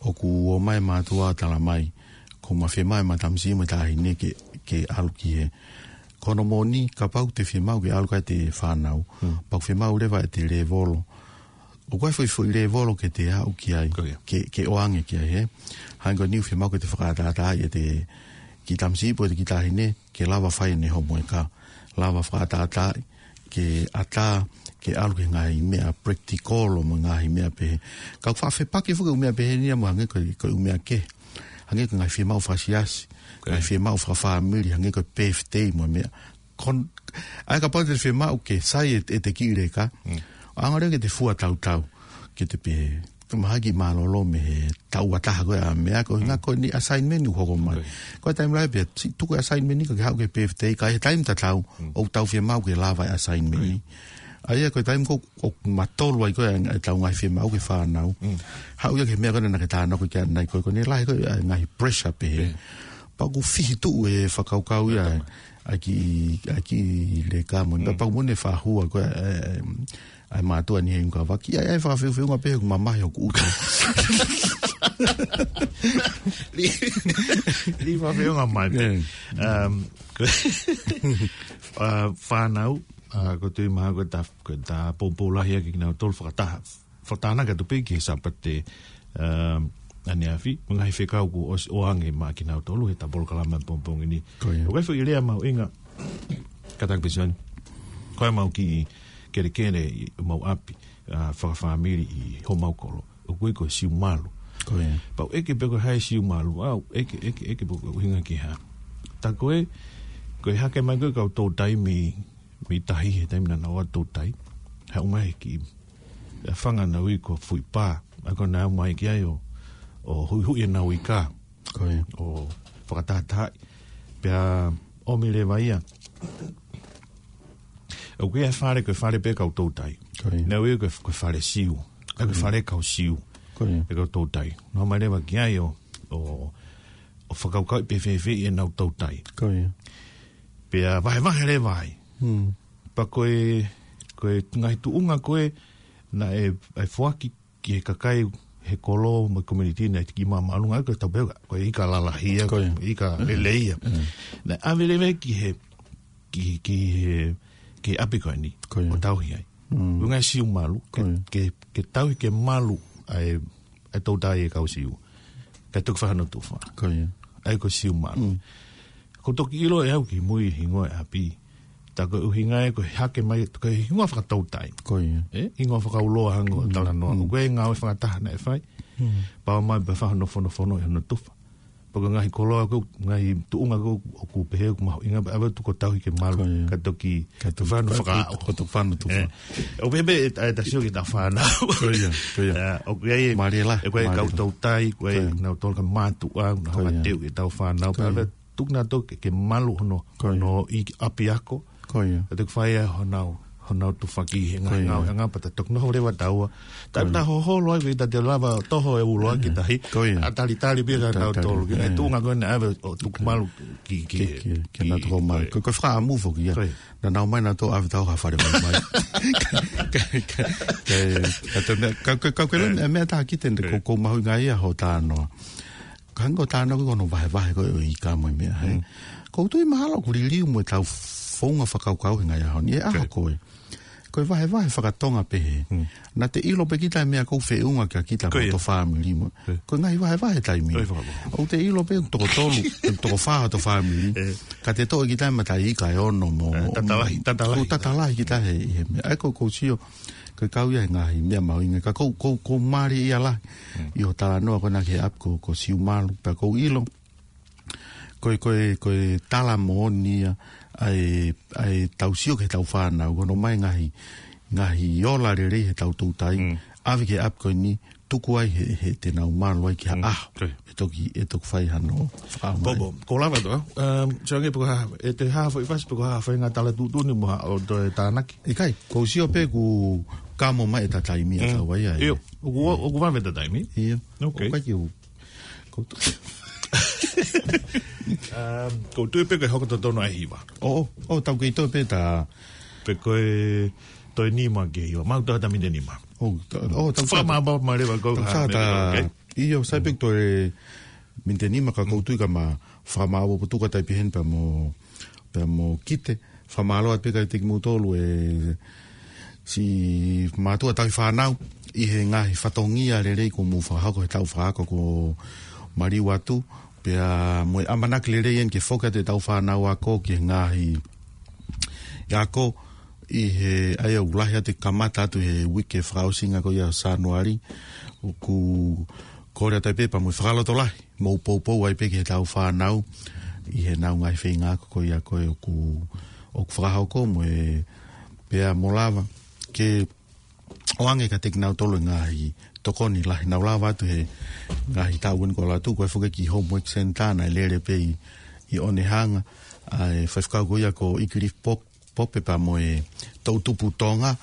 ʻOku ō mai e mātuʻa ʻo tala mai, ko ma fiemaʻu e matamasiʻi mo e taʻahine ke, ke ʻalu ki he. Ko hono moʻoni, kapau te fiemaʻu ke ʻalu ki ai ʻete fānau. Pea ʻoku fiemaʻu leva ʻete lēvolo. ʻOku ʻi ai e foʻi, foʻi lēvolo ke te aʻu ki ai. Ko ia. Ke, ke ʻoange ki ai, ē. Hangē ko eni ʻoku fiemaʻu ke te fakaʻataʻatā ʻete kiʻi tamasiʻi pe ʻete kiʻi taʻahine, ke lava fai ʻene homoeka. Lava fakaʻataʻatā, ke ʻatā, ke ʻalu ki he ngaahi meʻa practical mo e ngaahi meʻa pehē. Ka ʻoku faʻa fepaki foki e ʻū meʻa pehē ni ia mo e hangē ko e, ko e ʻū meʻa kehe. Hangē ko e ngaahi fiemaʻu fakasiasi, ko ia, ngaahi fiemaʻu fakafāmili, hangē ko e birthday mo e meʻa. Kon-, ʻa ia kapau te fiemaʻu ke sai e, ʻete kiʻi leka. ʻAnga leva ke te fua tautau. Ke te pehē, mahaki mālōlō mei he taʻu ʻe taha ko ē ʻa e meʻa ko e, ko e ngaahi assignment ʻoku hoko mai. Ko ia. Ko e taimi lahi pea, si-, tuku e assignment ni ka ke haʻu ki he birthday, ka ʻi he taimi tatau, ʻoku tau fiemaʻu ke lava e assignment ni. Ko ia. ʻA ia ko e taimi ko ē ʻoku matolu ai ko ē ʻa e, ʻa e tau ngaahi fiemaʻu ki he fānau. Haʻu ia ki he meʻa ko ē naʻa ke tānaki ki ai ʻanenai ko ē, ko ʻene lahi ko ē ʻa e ngaahi pressure pehē. Pea ʻoku fihi tuʻu e fakakaukau ia, ʻa e kiʻi, ʻa e kiʻi leka mo eni. Pea ʻoku moʻoni e fakahua ko ē, ē, ē, ʻa e mātuʻa ni he ʻuhinga vaki. ʻA e, ʻa e fakafeufeunga pehē ʻoku mamahi hoku ʻuta. Li, li fakafeunga mai. Um, ʻa, fānau, ʻa, ko e tui mai ko e ta, ko e ta poupou lahi ʻa kinautolu fakataha. Fakatānaki atu pē ki he Sāpate, um, ʻaneafi, mo e ngaahi fekau kuo ʻosi ʻoange maʻa kinautolu he ta polokalama pongipongi ni. Ko ia. ʻOku ʻi ai e foʻi lea mahuʻinga, kātaki pē Sione. Ko e mau kiʻi kelekele ʻi homau ʻapi, ʻa, fakafāmili ʻi homau kolo. ʻOku ui ko e siumalu. Ko ia. Pea u ʻeke pe ko e hā e siumalu, ʻa, ʻeke, ʻeke, ʻeke pe ko e ʻuhinga ki he hā. Tā ko ē, ko e hake mai ko ē kau toutai mei mei tahi he taimi naʻa nau ō ʻo toutai. He ʻomai ki, ʻa e fanga naʻe ui ko Fuipā. ʻA ia ko ʻenau ō mai ki ai ʻo, ʻo huʻihuʻi ʻenau ika. Ko ia. ʻO fakatahatahaʻi. Pea ʻomi leva ia. ʻOku ʻi ai e fale, ko e fale pē kau toutai. Ko ia. Naʻe ui ko e, ko e fale Siu. ʻA ia ko e fale kau Siu. Ko ia. ʻE kau toutai. Naʻa nau ō mai leva ki ai ʻo, ʻo, ʻo fakakaukauʻi pe fēfē ʻenau toutai. Ko ia. Pea vahevahe leva ai. Hmm. Pea ko e, ko e ngaahi tuʻunga ko ē naʻe, ʻe foaki ki he kakai he kolo mo e community naʻe tiki māʻolunga, ko e tau pehē ko e ika lalahia, Ko ia. ika Mm. lelei ia. Mm. Naʻe ʻave leva ki he, ki, ki he, ki he ʻapi ko eni, Ko ia. ʻo tauhi ai. Mm. Ko e ngaahi Siu malu, ke, Ko ia. ke, ke tauhi ke malu ʻa e, ʻa e toutai ʻa e kau Siu. Kae toki fai hano tufa. Ko ia. ʻA ia ko e Siu malu. Mm. Ko e toki ʻilo ʻe au ki mui hingoa e ʻapi. Tā ko e ʻuhinga ia ko e hake mai, ko e hingoa fakatoutai. Ko ia. ʻE, hingoa fakauloa hangē ko e Mm. talanoa. Mm. Ko e ngāue fakataha naʻe fai. Mm. Pau mai pē fai hano fonofono ʻi hano tufa. Pea ko e ngaahi koloa ko, ngaahi tuʻunga ko, ʻoku pehē ʻoku mahuʻinga, pea ʻave ʻo tuku ʻo tauhi ke malu. Ko ia. Kae toki Kae toki fai hano fai, fakaʻaho. ko e toki fai hano tufa. ʻE, ʻoku pehē pē ʻe, ʻe tasi ʻo ki he tau fānau. Ko ia, ko ia. ʻE, ʻoku ʻi ai e, Mālie lahi, ʻe, ko e mālie kau lahi. toutai, ko e Ko ia. nau tolu ka mātuʻa, nau Ko ia. hanga teu ʻi he tau fānau. Ko ia. Pea ʻave ʻo tuku nautolu ke, ke malu hono, Ko ia. hono ʻi ʻapiako. Ko ia. Kae toki fai ai honau, honau tufa ki he Ko ia. ngaahi ngāueʻanga pea ta toki noho leva taua. Ta Ko ia. ta hoholo ai, ʻikai ta te lava ʻo toho e ulo ʻaki ʻe tahi. Ko ia. ʻA talitali pē ka Talitali, tau tolu. Ki he ʻe. tuʻunga ko ē naʻe ʻave ʻo tuku malu ki, ki, Ki, ki, ki he nau toko mai. Ko ia. Ko, ko e fakaʻamu foki ia. Ko ia. Naʻa nau ō mai nautolu ʻo ʻave taua ha fale mai mai. Ka, ka, ka, ka, ka, ka, ka, ka, Ko ia. meʻa, meʻa tā ki te ne Ko ia. ko, ko mahuʻinga ia hoʻo talanoa. Ka hangē ko e talanoa ko hono vahevahe ko ē ʻo e ika mo e meʻa, he. Mm. Ko u tui mahalo ʻoku liliu mo e tau founga fakakaukau he ngaahi ʻaho ni. ʻE ʻaho Ko ia. ko ē. Ko e vahevahe fakatonga pehē. Mm. Naʻa te ʻilo pē kita e meʻa ʻoku feʻunga kia kita Ko mo ia. hoto fāmili mo. Ko ia. Ko e ngaahi vahevahe taimi. Ko ia, fakapapau. ʻOku te ʻilo pē toko tolu, toko fā hoto fāmili. ʻE. Ka te toʻo kita e mataʻi ika ʻe ono mo. ʻE, tata lahi, tata lahi. ʻOku tata lahi kita he, he meʻa. ʻA ia ko, ko u sio, ko e kau ia he ngaahi meʻa mahuʻinga. Ka ko, ko, ko mālie ia lahi. Mm. ʻI hoʻo talanoa ko ena ki he ʻapi ko, ko Siu malu, pea ko u ʻilo. Ko e, ko e, ko e tala moʻoni ia, ʻa e, ʻa e tau sio ki he tau fānau, ko hono ʻomai ngaahi, ngaahi ola lelei he tau toutai, Mm. ʻave ki he ʻapi ko eni, tuku ai he, he te nau malu ai ki ha Mm. ʻaho. Ko ia. ʻE toki, ʻe toki fai hano fakaʻamu mai. Bobo, ko u lava atu, um, sio ange pe ko e hā, ʻe te hā foʻi fasi pe ko e hā foʻi ngaahi tala tuʻutuʻuni mo ha, ʻo toe tānaki. ʻIkai, ko u sio pē kuo kamo mai ʻeta taimi ʻa Mm. tau ai ai. ʻIo, ʻoku, ʻoku vave ʻeta taimi. ʻIo. Ok. ʻOku ʻikai ke u Ko u tu- Um, ko u tui pē ke hoko totonu ʻa e hiva. ʻO, ʻo, ʻo, tau kei toe pē ta. Pe ko e toe nima ke hiva. Mau toe ta miniti ʻe nima. ʻO, ta, ʻo, tau Fakamāpapa mai leva ko Tau ha sa ta, miniti, ok. ʻIo, sai pē toe miniti ʻe nima ka ko u tui ka ma fakamāpapa atu ka tai pē heni pea mo, pea mo kite. Fakamālō atu pē kiate kimoutolu ʻe siʻi mātuʻa tauhi fānau ʻi he ngaahi fatongia lelei kuo mou fakahoko he tau fakaako kuo maliu atu. Pea mo e ʻamanaki lelei eni ke foki atu e tau fānau ako ki he ngaahi ako ʻi he ʻa ia ʻoku lahi atu e kamata atu he uike fakaʻosinga ko ia ʻo Sānuali. ʻOku kole atu ai pē pea mo e fakalotolahi. Mou poupou ai pē ki he tau fānau ʻi he nau ngaahi feinga ako ko ia ko ē ʻoku, ʻoku fakahoko mo e pea mo lava ke ʻoange kiate kinautolu e ngaahi tokoni lahi naʻa nau lava atu he ngaahi taʻu ko eni kuo ʻalu atu, ko e foki ki Homework Centre naʻe lele pē ʻi, ʻi ʻOnehunga, ʻa e faifekau ko ia ko ʻIkilifi Pop, Pope pea mo e toʻutupu Tonga,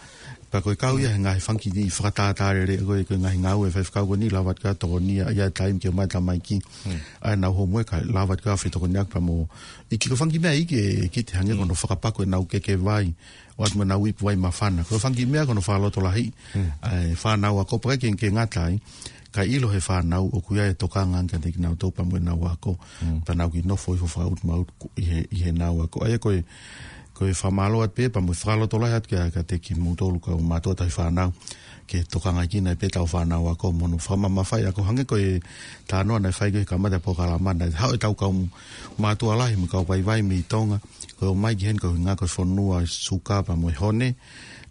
pea ko e kau ia he ngaahi fanga kiʻi fakatātā lelei, ko e, ko e ngaahi ngāue ʻa e faifekau ko eni, lava atu ki ai ʻo tokonia ʻa e taimi ke ʻomai e tamaiki, Mm. ʻa ʻenau homework, lava atu ki ai ʻo fetokoniʻaki pea mo, ʻi he kiʻi fanga kiʻi meʻa ʻi he, ki te hangē ko hono fakapaku ʻenau keke vai, ʻoatu mo ʻenau ipu vai māfana. Ko e fanga kiʻi meʻa ko hono fakalotolahi, Mm. ʻa e fānau ako pea ʻikai ke, ke ngata ai, kae ʻilo he fānau ʻoku ʻi ai e tokanga ange kiate kinautolu pea mo ʻenau ako, Mm. pea nau kiʻi nofo hifo fakaʻutumautu ʻi he, ʻi heʻenau ako. ʻA ia ko e, ko e fakamālō atu pē, pea mo e fakalotolahi atu kia, kiate kimoutolu kau mātuʻa tauhi fānau, ke tokangaʻi kinautolu pē tau fānau ako mo hono fakamamafaʻi ako hangē ko e talanoa naʻe fai ko ē he kamata e polokalama naʻe haʻu e tau kau mātuʻa lahi mo e kau vaivai mei Tonga, ko e ō mai ki heni ko e ʻuhinga ko e fonua e suka pea mo e hone,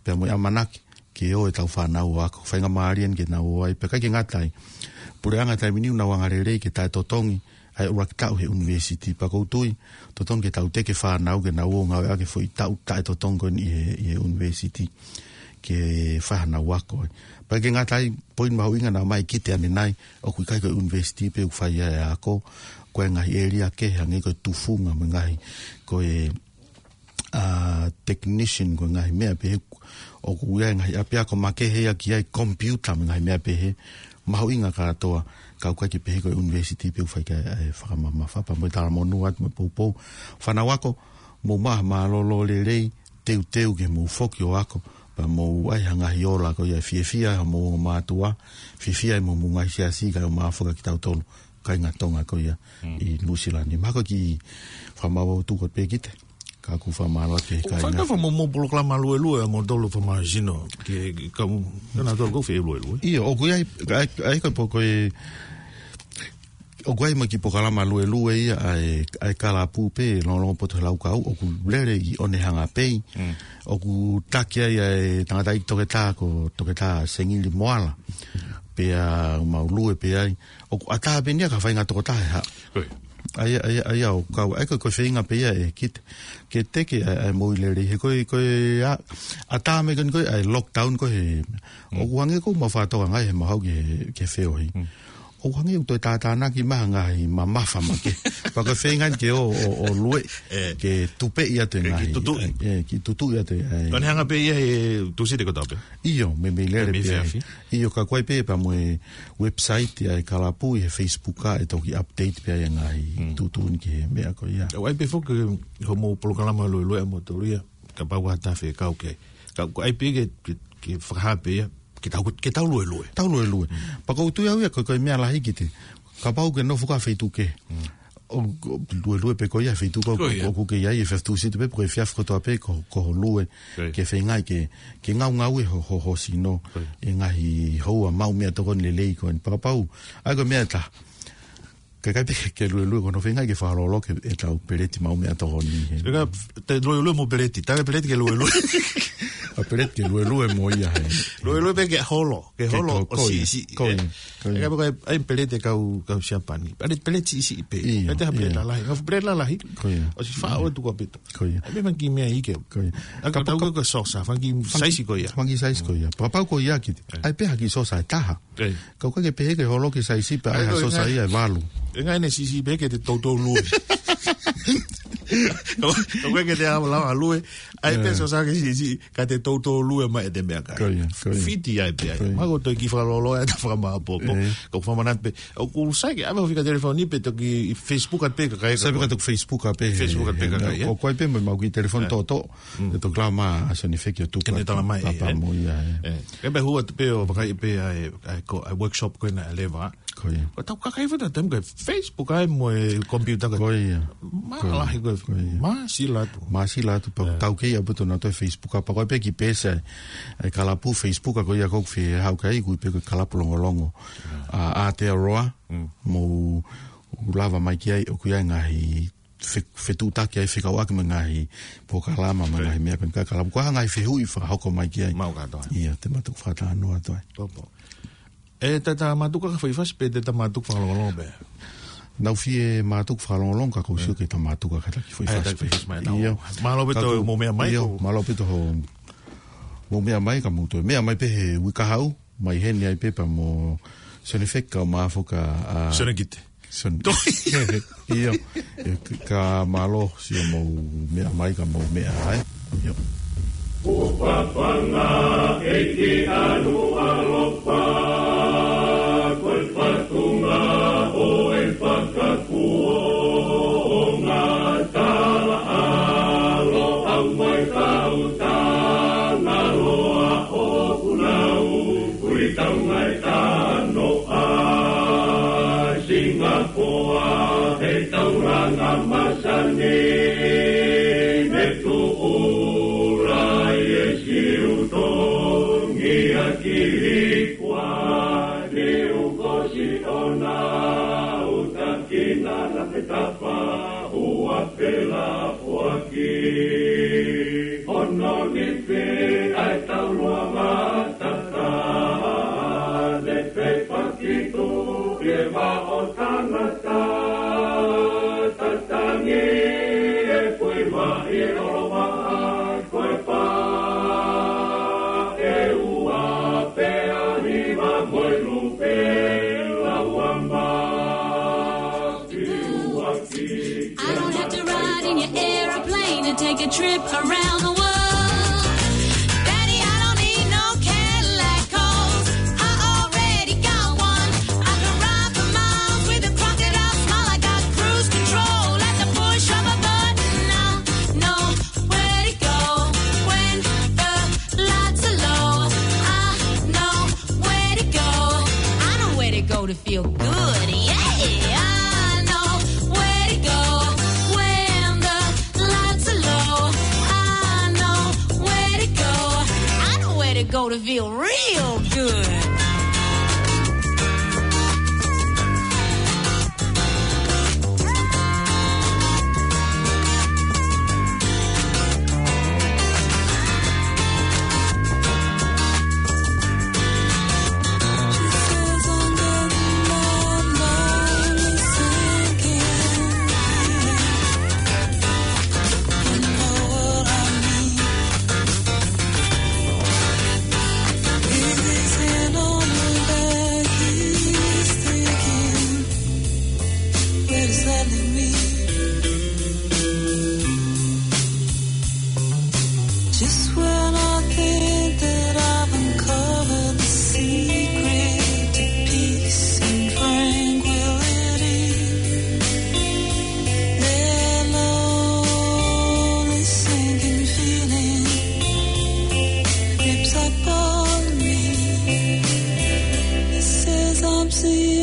pea mo e ʻamanaki ke ō e tau fānau ʻo ako. Faingamālie eni ke nau ō ai, pea ʻikai ke ngata ai. Puleʻanga taimi ni ʻoku nau angalelei ke taʻetotongi ʻa e ʻuluaki taʻu he university. Pea ʻoku ou tui, totonu ke tau teke fānau ke nau ō ngāueʻaki e foʻi taʻu taʻetotongi ko eni ʻi he, ʻi he university ke fai hanau ako. Pea ʻikai ngata ai, poini mahuʻinga naʻe ʻomai ʻe Kite ʻanenai, ʻoku ʻikai ko e university pē ʻoku fai ai e ako, ko e ngaahi ʻēlia kehe hangē ko e tufunga mo e ngaahi, ko e ʻa, technician ko e ngaahi meʻa pehē, ʻoku ʻi ai e ngaahi ʻapiako makehe ia ki ai, computer mo e ngaahi meʻa pehē, mahuʻinga kātoa, ka ʻoku ʻikai ke pehē ko e university pē ʻoku fai ki ai e fakamamafa. Pea mo e talamonū atu mo e poupou. Fānau ako, mou maʻu ha mālōlō lelei, teuteu ke mou foki ʻo ako, pea mou ʻai ha ngaahi ola ko ia ʻe fiefia ai homou ongo mātuʻa, fiefia ai mo homou ngaahi siasi, kae ʻumaʻā foki kitautolu kāinga Tonga ko ia ʻi Nuʻusila ni. Mahalo ko e kiʻi fakamaau atu ko ē pē Kite. Ka ʻoku ou fakamālō atu ki he kāinga. Fakafa mo mo polokalama luelue ʻa moutolu fakamāsino. Ke, ke kau, ka nautolu ʻoku fie luelue. ʻIo, ʻoku ʻi ai, ʻa e, ʻa e ko e poko e, ʻoku ʻi ai mo e kiʻi polokalama luelue ia ʻa e, ʻa e kalapu pē, Longolongo Poto he Laukau, ʻoku lele ʻi Onehunga Bay. ʻOku taki ai ʻa e tangataʻeiki toketā ko Toketā Sengili Moala. Pea mau lue pē ai. ʻOku ʻatā pē eni ia ka faʻahinga toko taha ʻe haʻu. ʻA ia, ʻa ia, ʻa ia ʻoku kau, ʻa ia ko e, ko e feinga pē ia ʻe Kite. Ke teke ʻa e, ʻa e moʻui lelei he ko e, ko e ʻa, ʻatā mai ko eni ko e, ʻa e lockdown ko ē he, ʻoku hangē ko ʻemau fakatokangaʻi he mahau ki he, ki he feohi. ʻOku hangē ʻoku toe tātānaki mai ha ngaahi mamafa makehe. Pea ko e feinga eni ke ō, ō, ō lue, ke tupeʻi atu e ngaahi. Ke tutuʻi. ʻE, ke tutuʻi atu e, ʻa e. Ko Onehunga pē ia he Tūsite kotoa pē. ʻIo, meimei lele pē ai. ʻIo, ka ʻoku ʻi ai pē pea mo e website ʻa e kalapu ʻi he Facebook ʻa e toki update pē ʻa e ngaahi tuʻutuʻuni ki he meʻa ko ia. ʻOku ʻi ai pē foki homou polokalama luelue ʻa moutolu ia. Kapau ʻoku ʻi ai ha taha fie kau ki ai. Ka ʻoku ʻi ai pē ke, ke, ke fakahā pē ia. Ke tau, ke tau luelue. Tau luelue. Pea ʻoku ou tui au ia ko e, ko e meʻa lahi Kite. Kapau ʻoku ke nofo ʻi ha feituʻu kehe. ʻO, ʻo luelue pē koe ʻi he feituʻu ʻoku ke ʻi ai he efiafi Tūsite pē pe ko e efiafi kotoa pē ko, ko hoʻo lue. Ke feingaʻi ke, ke ngaungaue ho, ho, ho sino ʻi he ngaahi houa maʻu meʻatokoni lelei ko eni. Pea kapau, ʻa ia ko e meʻa ʻe taha. Ke ʻikai pē ke luelue ko hono feingaʻi ke fakalōloa ke ʻetau peleti maʻu meʻatokoni. Ka te luelue mo peleti, taʻe peleti ke luelue. ʻA peleti ke luelue mo ia he. Luelue pē ke holo, ke holo ʻo siʻisiʻi. Ko ia, ko ia. ʻIkai pē ko e, ʻai peleti kau, kau Siapani. ʻAi peleti siʻisiʻi pē. ʻIo, ʻai te ha peleti lalahi. Ngaahi peleti lalahi. Ko ia. ʻOsi faʻo atu ko pito. Ko ia. ʻAi pē fanga kiʻi meʻa ʻi ke. Ko ia. ʻAi kapau ko e saucer, fanga kiʻi size ko ia. Fanga kiʻi size ko ia. Pea kapau ko ia Kite. ʻAi pē ha kiʻi saucer ʻe taha. Ka ʻoku ʻikai ke pehē ke holo ki he size pē ʻa e saucer ia ʻe valu. ʻE ngaahi ʻene siʻisiʻi pē ke te toutou lue. Ka ʻoku ʻikai ke te lava lava lue. ʻAi pē saucer ke siʻisiʻi. Ka te toutou lue mai ʻete meʻakai. Ko ia, ko ia. Fiti ai pē ai. Ko ia. Mahalo ko e kiʻi fakalōloa ʻeta fakamāʻopoʻopo. Ka ʻoku fakamanatu pē. ʻOku sai ke ʻave ho fika telefoni pē toki Facebook atu pē kakai. Sai pē ka toki Facebook atu pē. Facebook atu pē kakai, ʻoku ʻi ai pē mo ʻemau kiʻi telefoni toʻotoʻo. ʻE toki lava mai ʻa Sione Feki ʻo tuku atu. Ke ne tala mai, pea mo ia. ʻE, ke pehē atu pē ʻo vakai pē ʻa e, ʻa e ko, ʻa e workshop ko ena ʻe leva. Ko ia. Ko ʻetau kakai fata tem ko e Facebook ai mo e computer ko. Ko ia. Mālahi ko e. Ko ia. Māsila atu. Māsila atu pea tau kei ʻaupito naʻa toe Facebook ʻa pea ko e pē kiʻi peesi ʻa e kalapu Facebook ko ia ʻoku fie haʻu ki ai ʻoku ui pē ko e Kalapu Longolongo. ʻA, Aotearoa. Mou lava mai ki ai ʻoku ʻi ai ngaahi fe-, fetuʻutaki ai fekauʻaki mo e ngaahi polokalama mo e ngaahi meʻa ko eni ka kalapu. Ko e hā ngaahi fehuʻi fakahoko mai ki ai. Mau kātoa. ʻIo, te ma toki fakatalanoa atu ai. Popo. ʻE, te ta mātuku ka foʻi fasi pe te ta mātuku fakalongolongo pē? Naʻa ku fie mātuku fakalongolongo ka ʻoku ou sio ke ta mātuku ka ta kiʻi foʻi fasi pē. ʻIo. Mālō pē hoʻomou meʻa mai. ʻIo, mālō pē hoʻomou meʻa mai ka mou toe meʻa mai pē he uike kahaʻu. Mai heni ai pē pea mo Sione Feki ka ʻumaʻā foki ʻa Sione Kite. Sione. ʻIo. ʻIo, ka mālō siʻomou meʻa mai ka mou meʻa ai. ʻIo. Kuo papanga ʻEiki ʻAlu ʻAlofa, ko e fatunga ʻo e fakakuonga talaʻalo au mai kau Tangaloa ʻoku nau ui tau ngai tano ʻa Singapoa he taulanga masani me tuʻu lai e Siutongi ʻa Kilikuani uko Siona utakina na pe tapa ua pela foaki. Ono ni pe ai taulua matata, ne pe pakitu e va o tangata. Trip around the world. Daddy, I don't need no Cadillac, 'cause I already got one. I can ride for miles with a crocodile smile. I got cruise control at the push of a button. I know where to go when the lights are low. I know where to go. I know where to go to feel good. Yeah, I know where to go when the lights are low. I know where to go. I know where to go to feel real good. Just when I think that I've uncovered the secret to peace and tranquility, the lonely sinking feeling creeps upon me. It says I'm seeing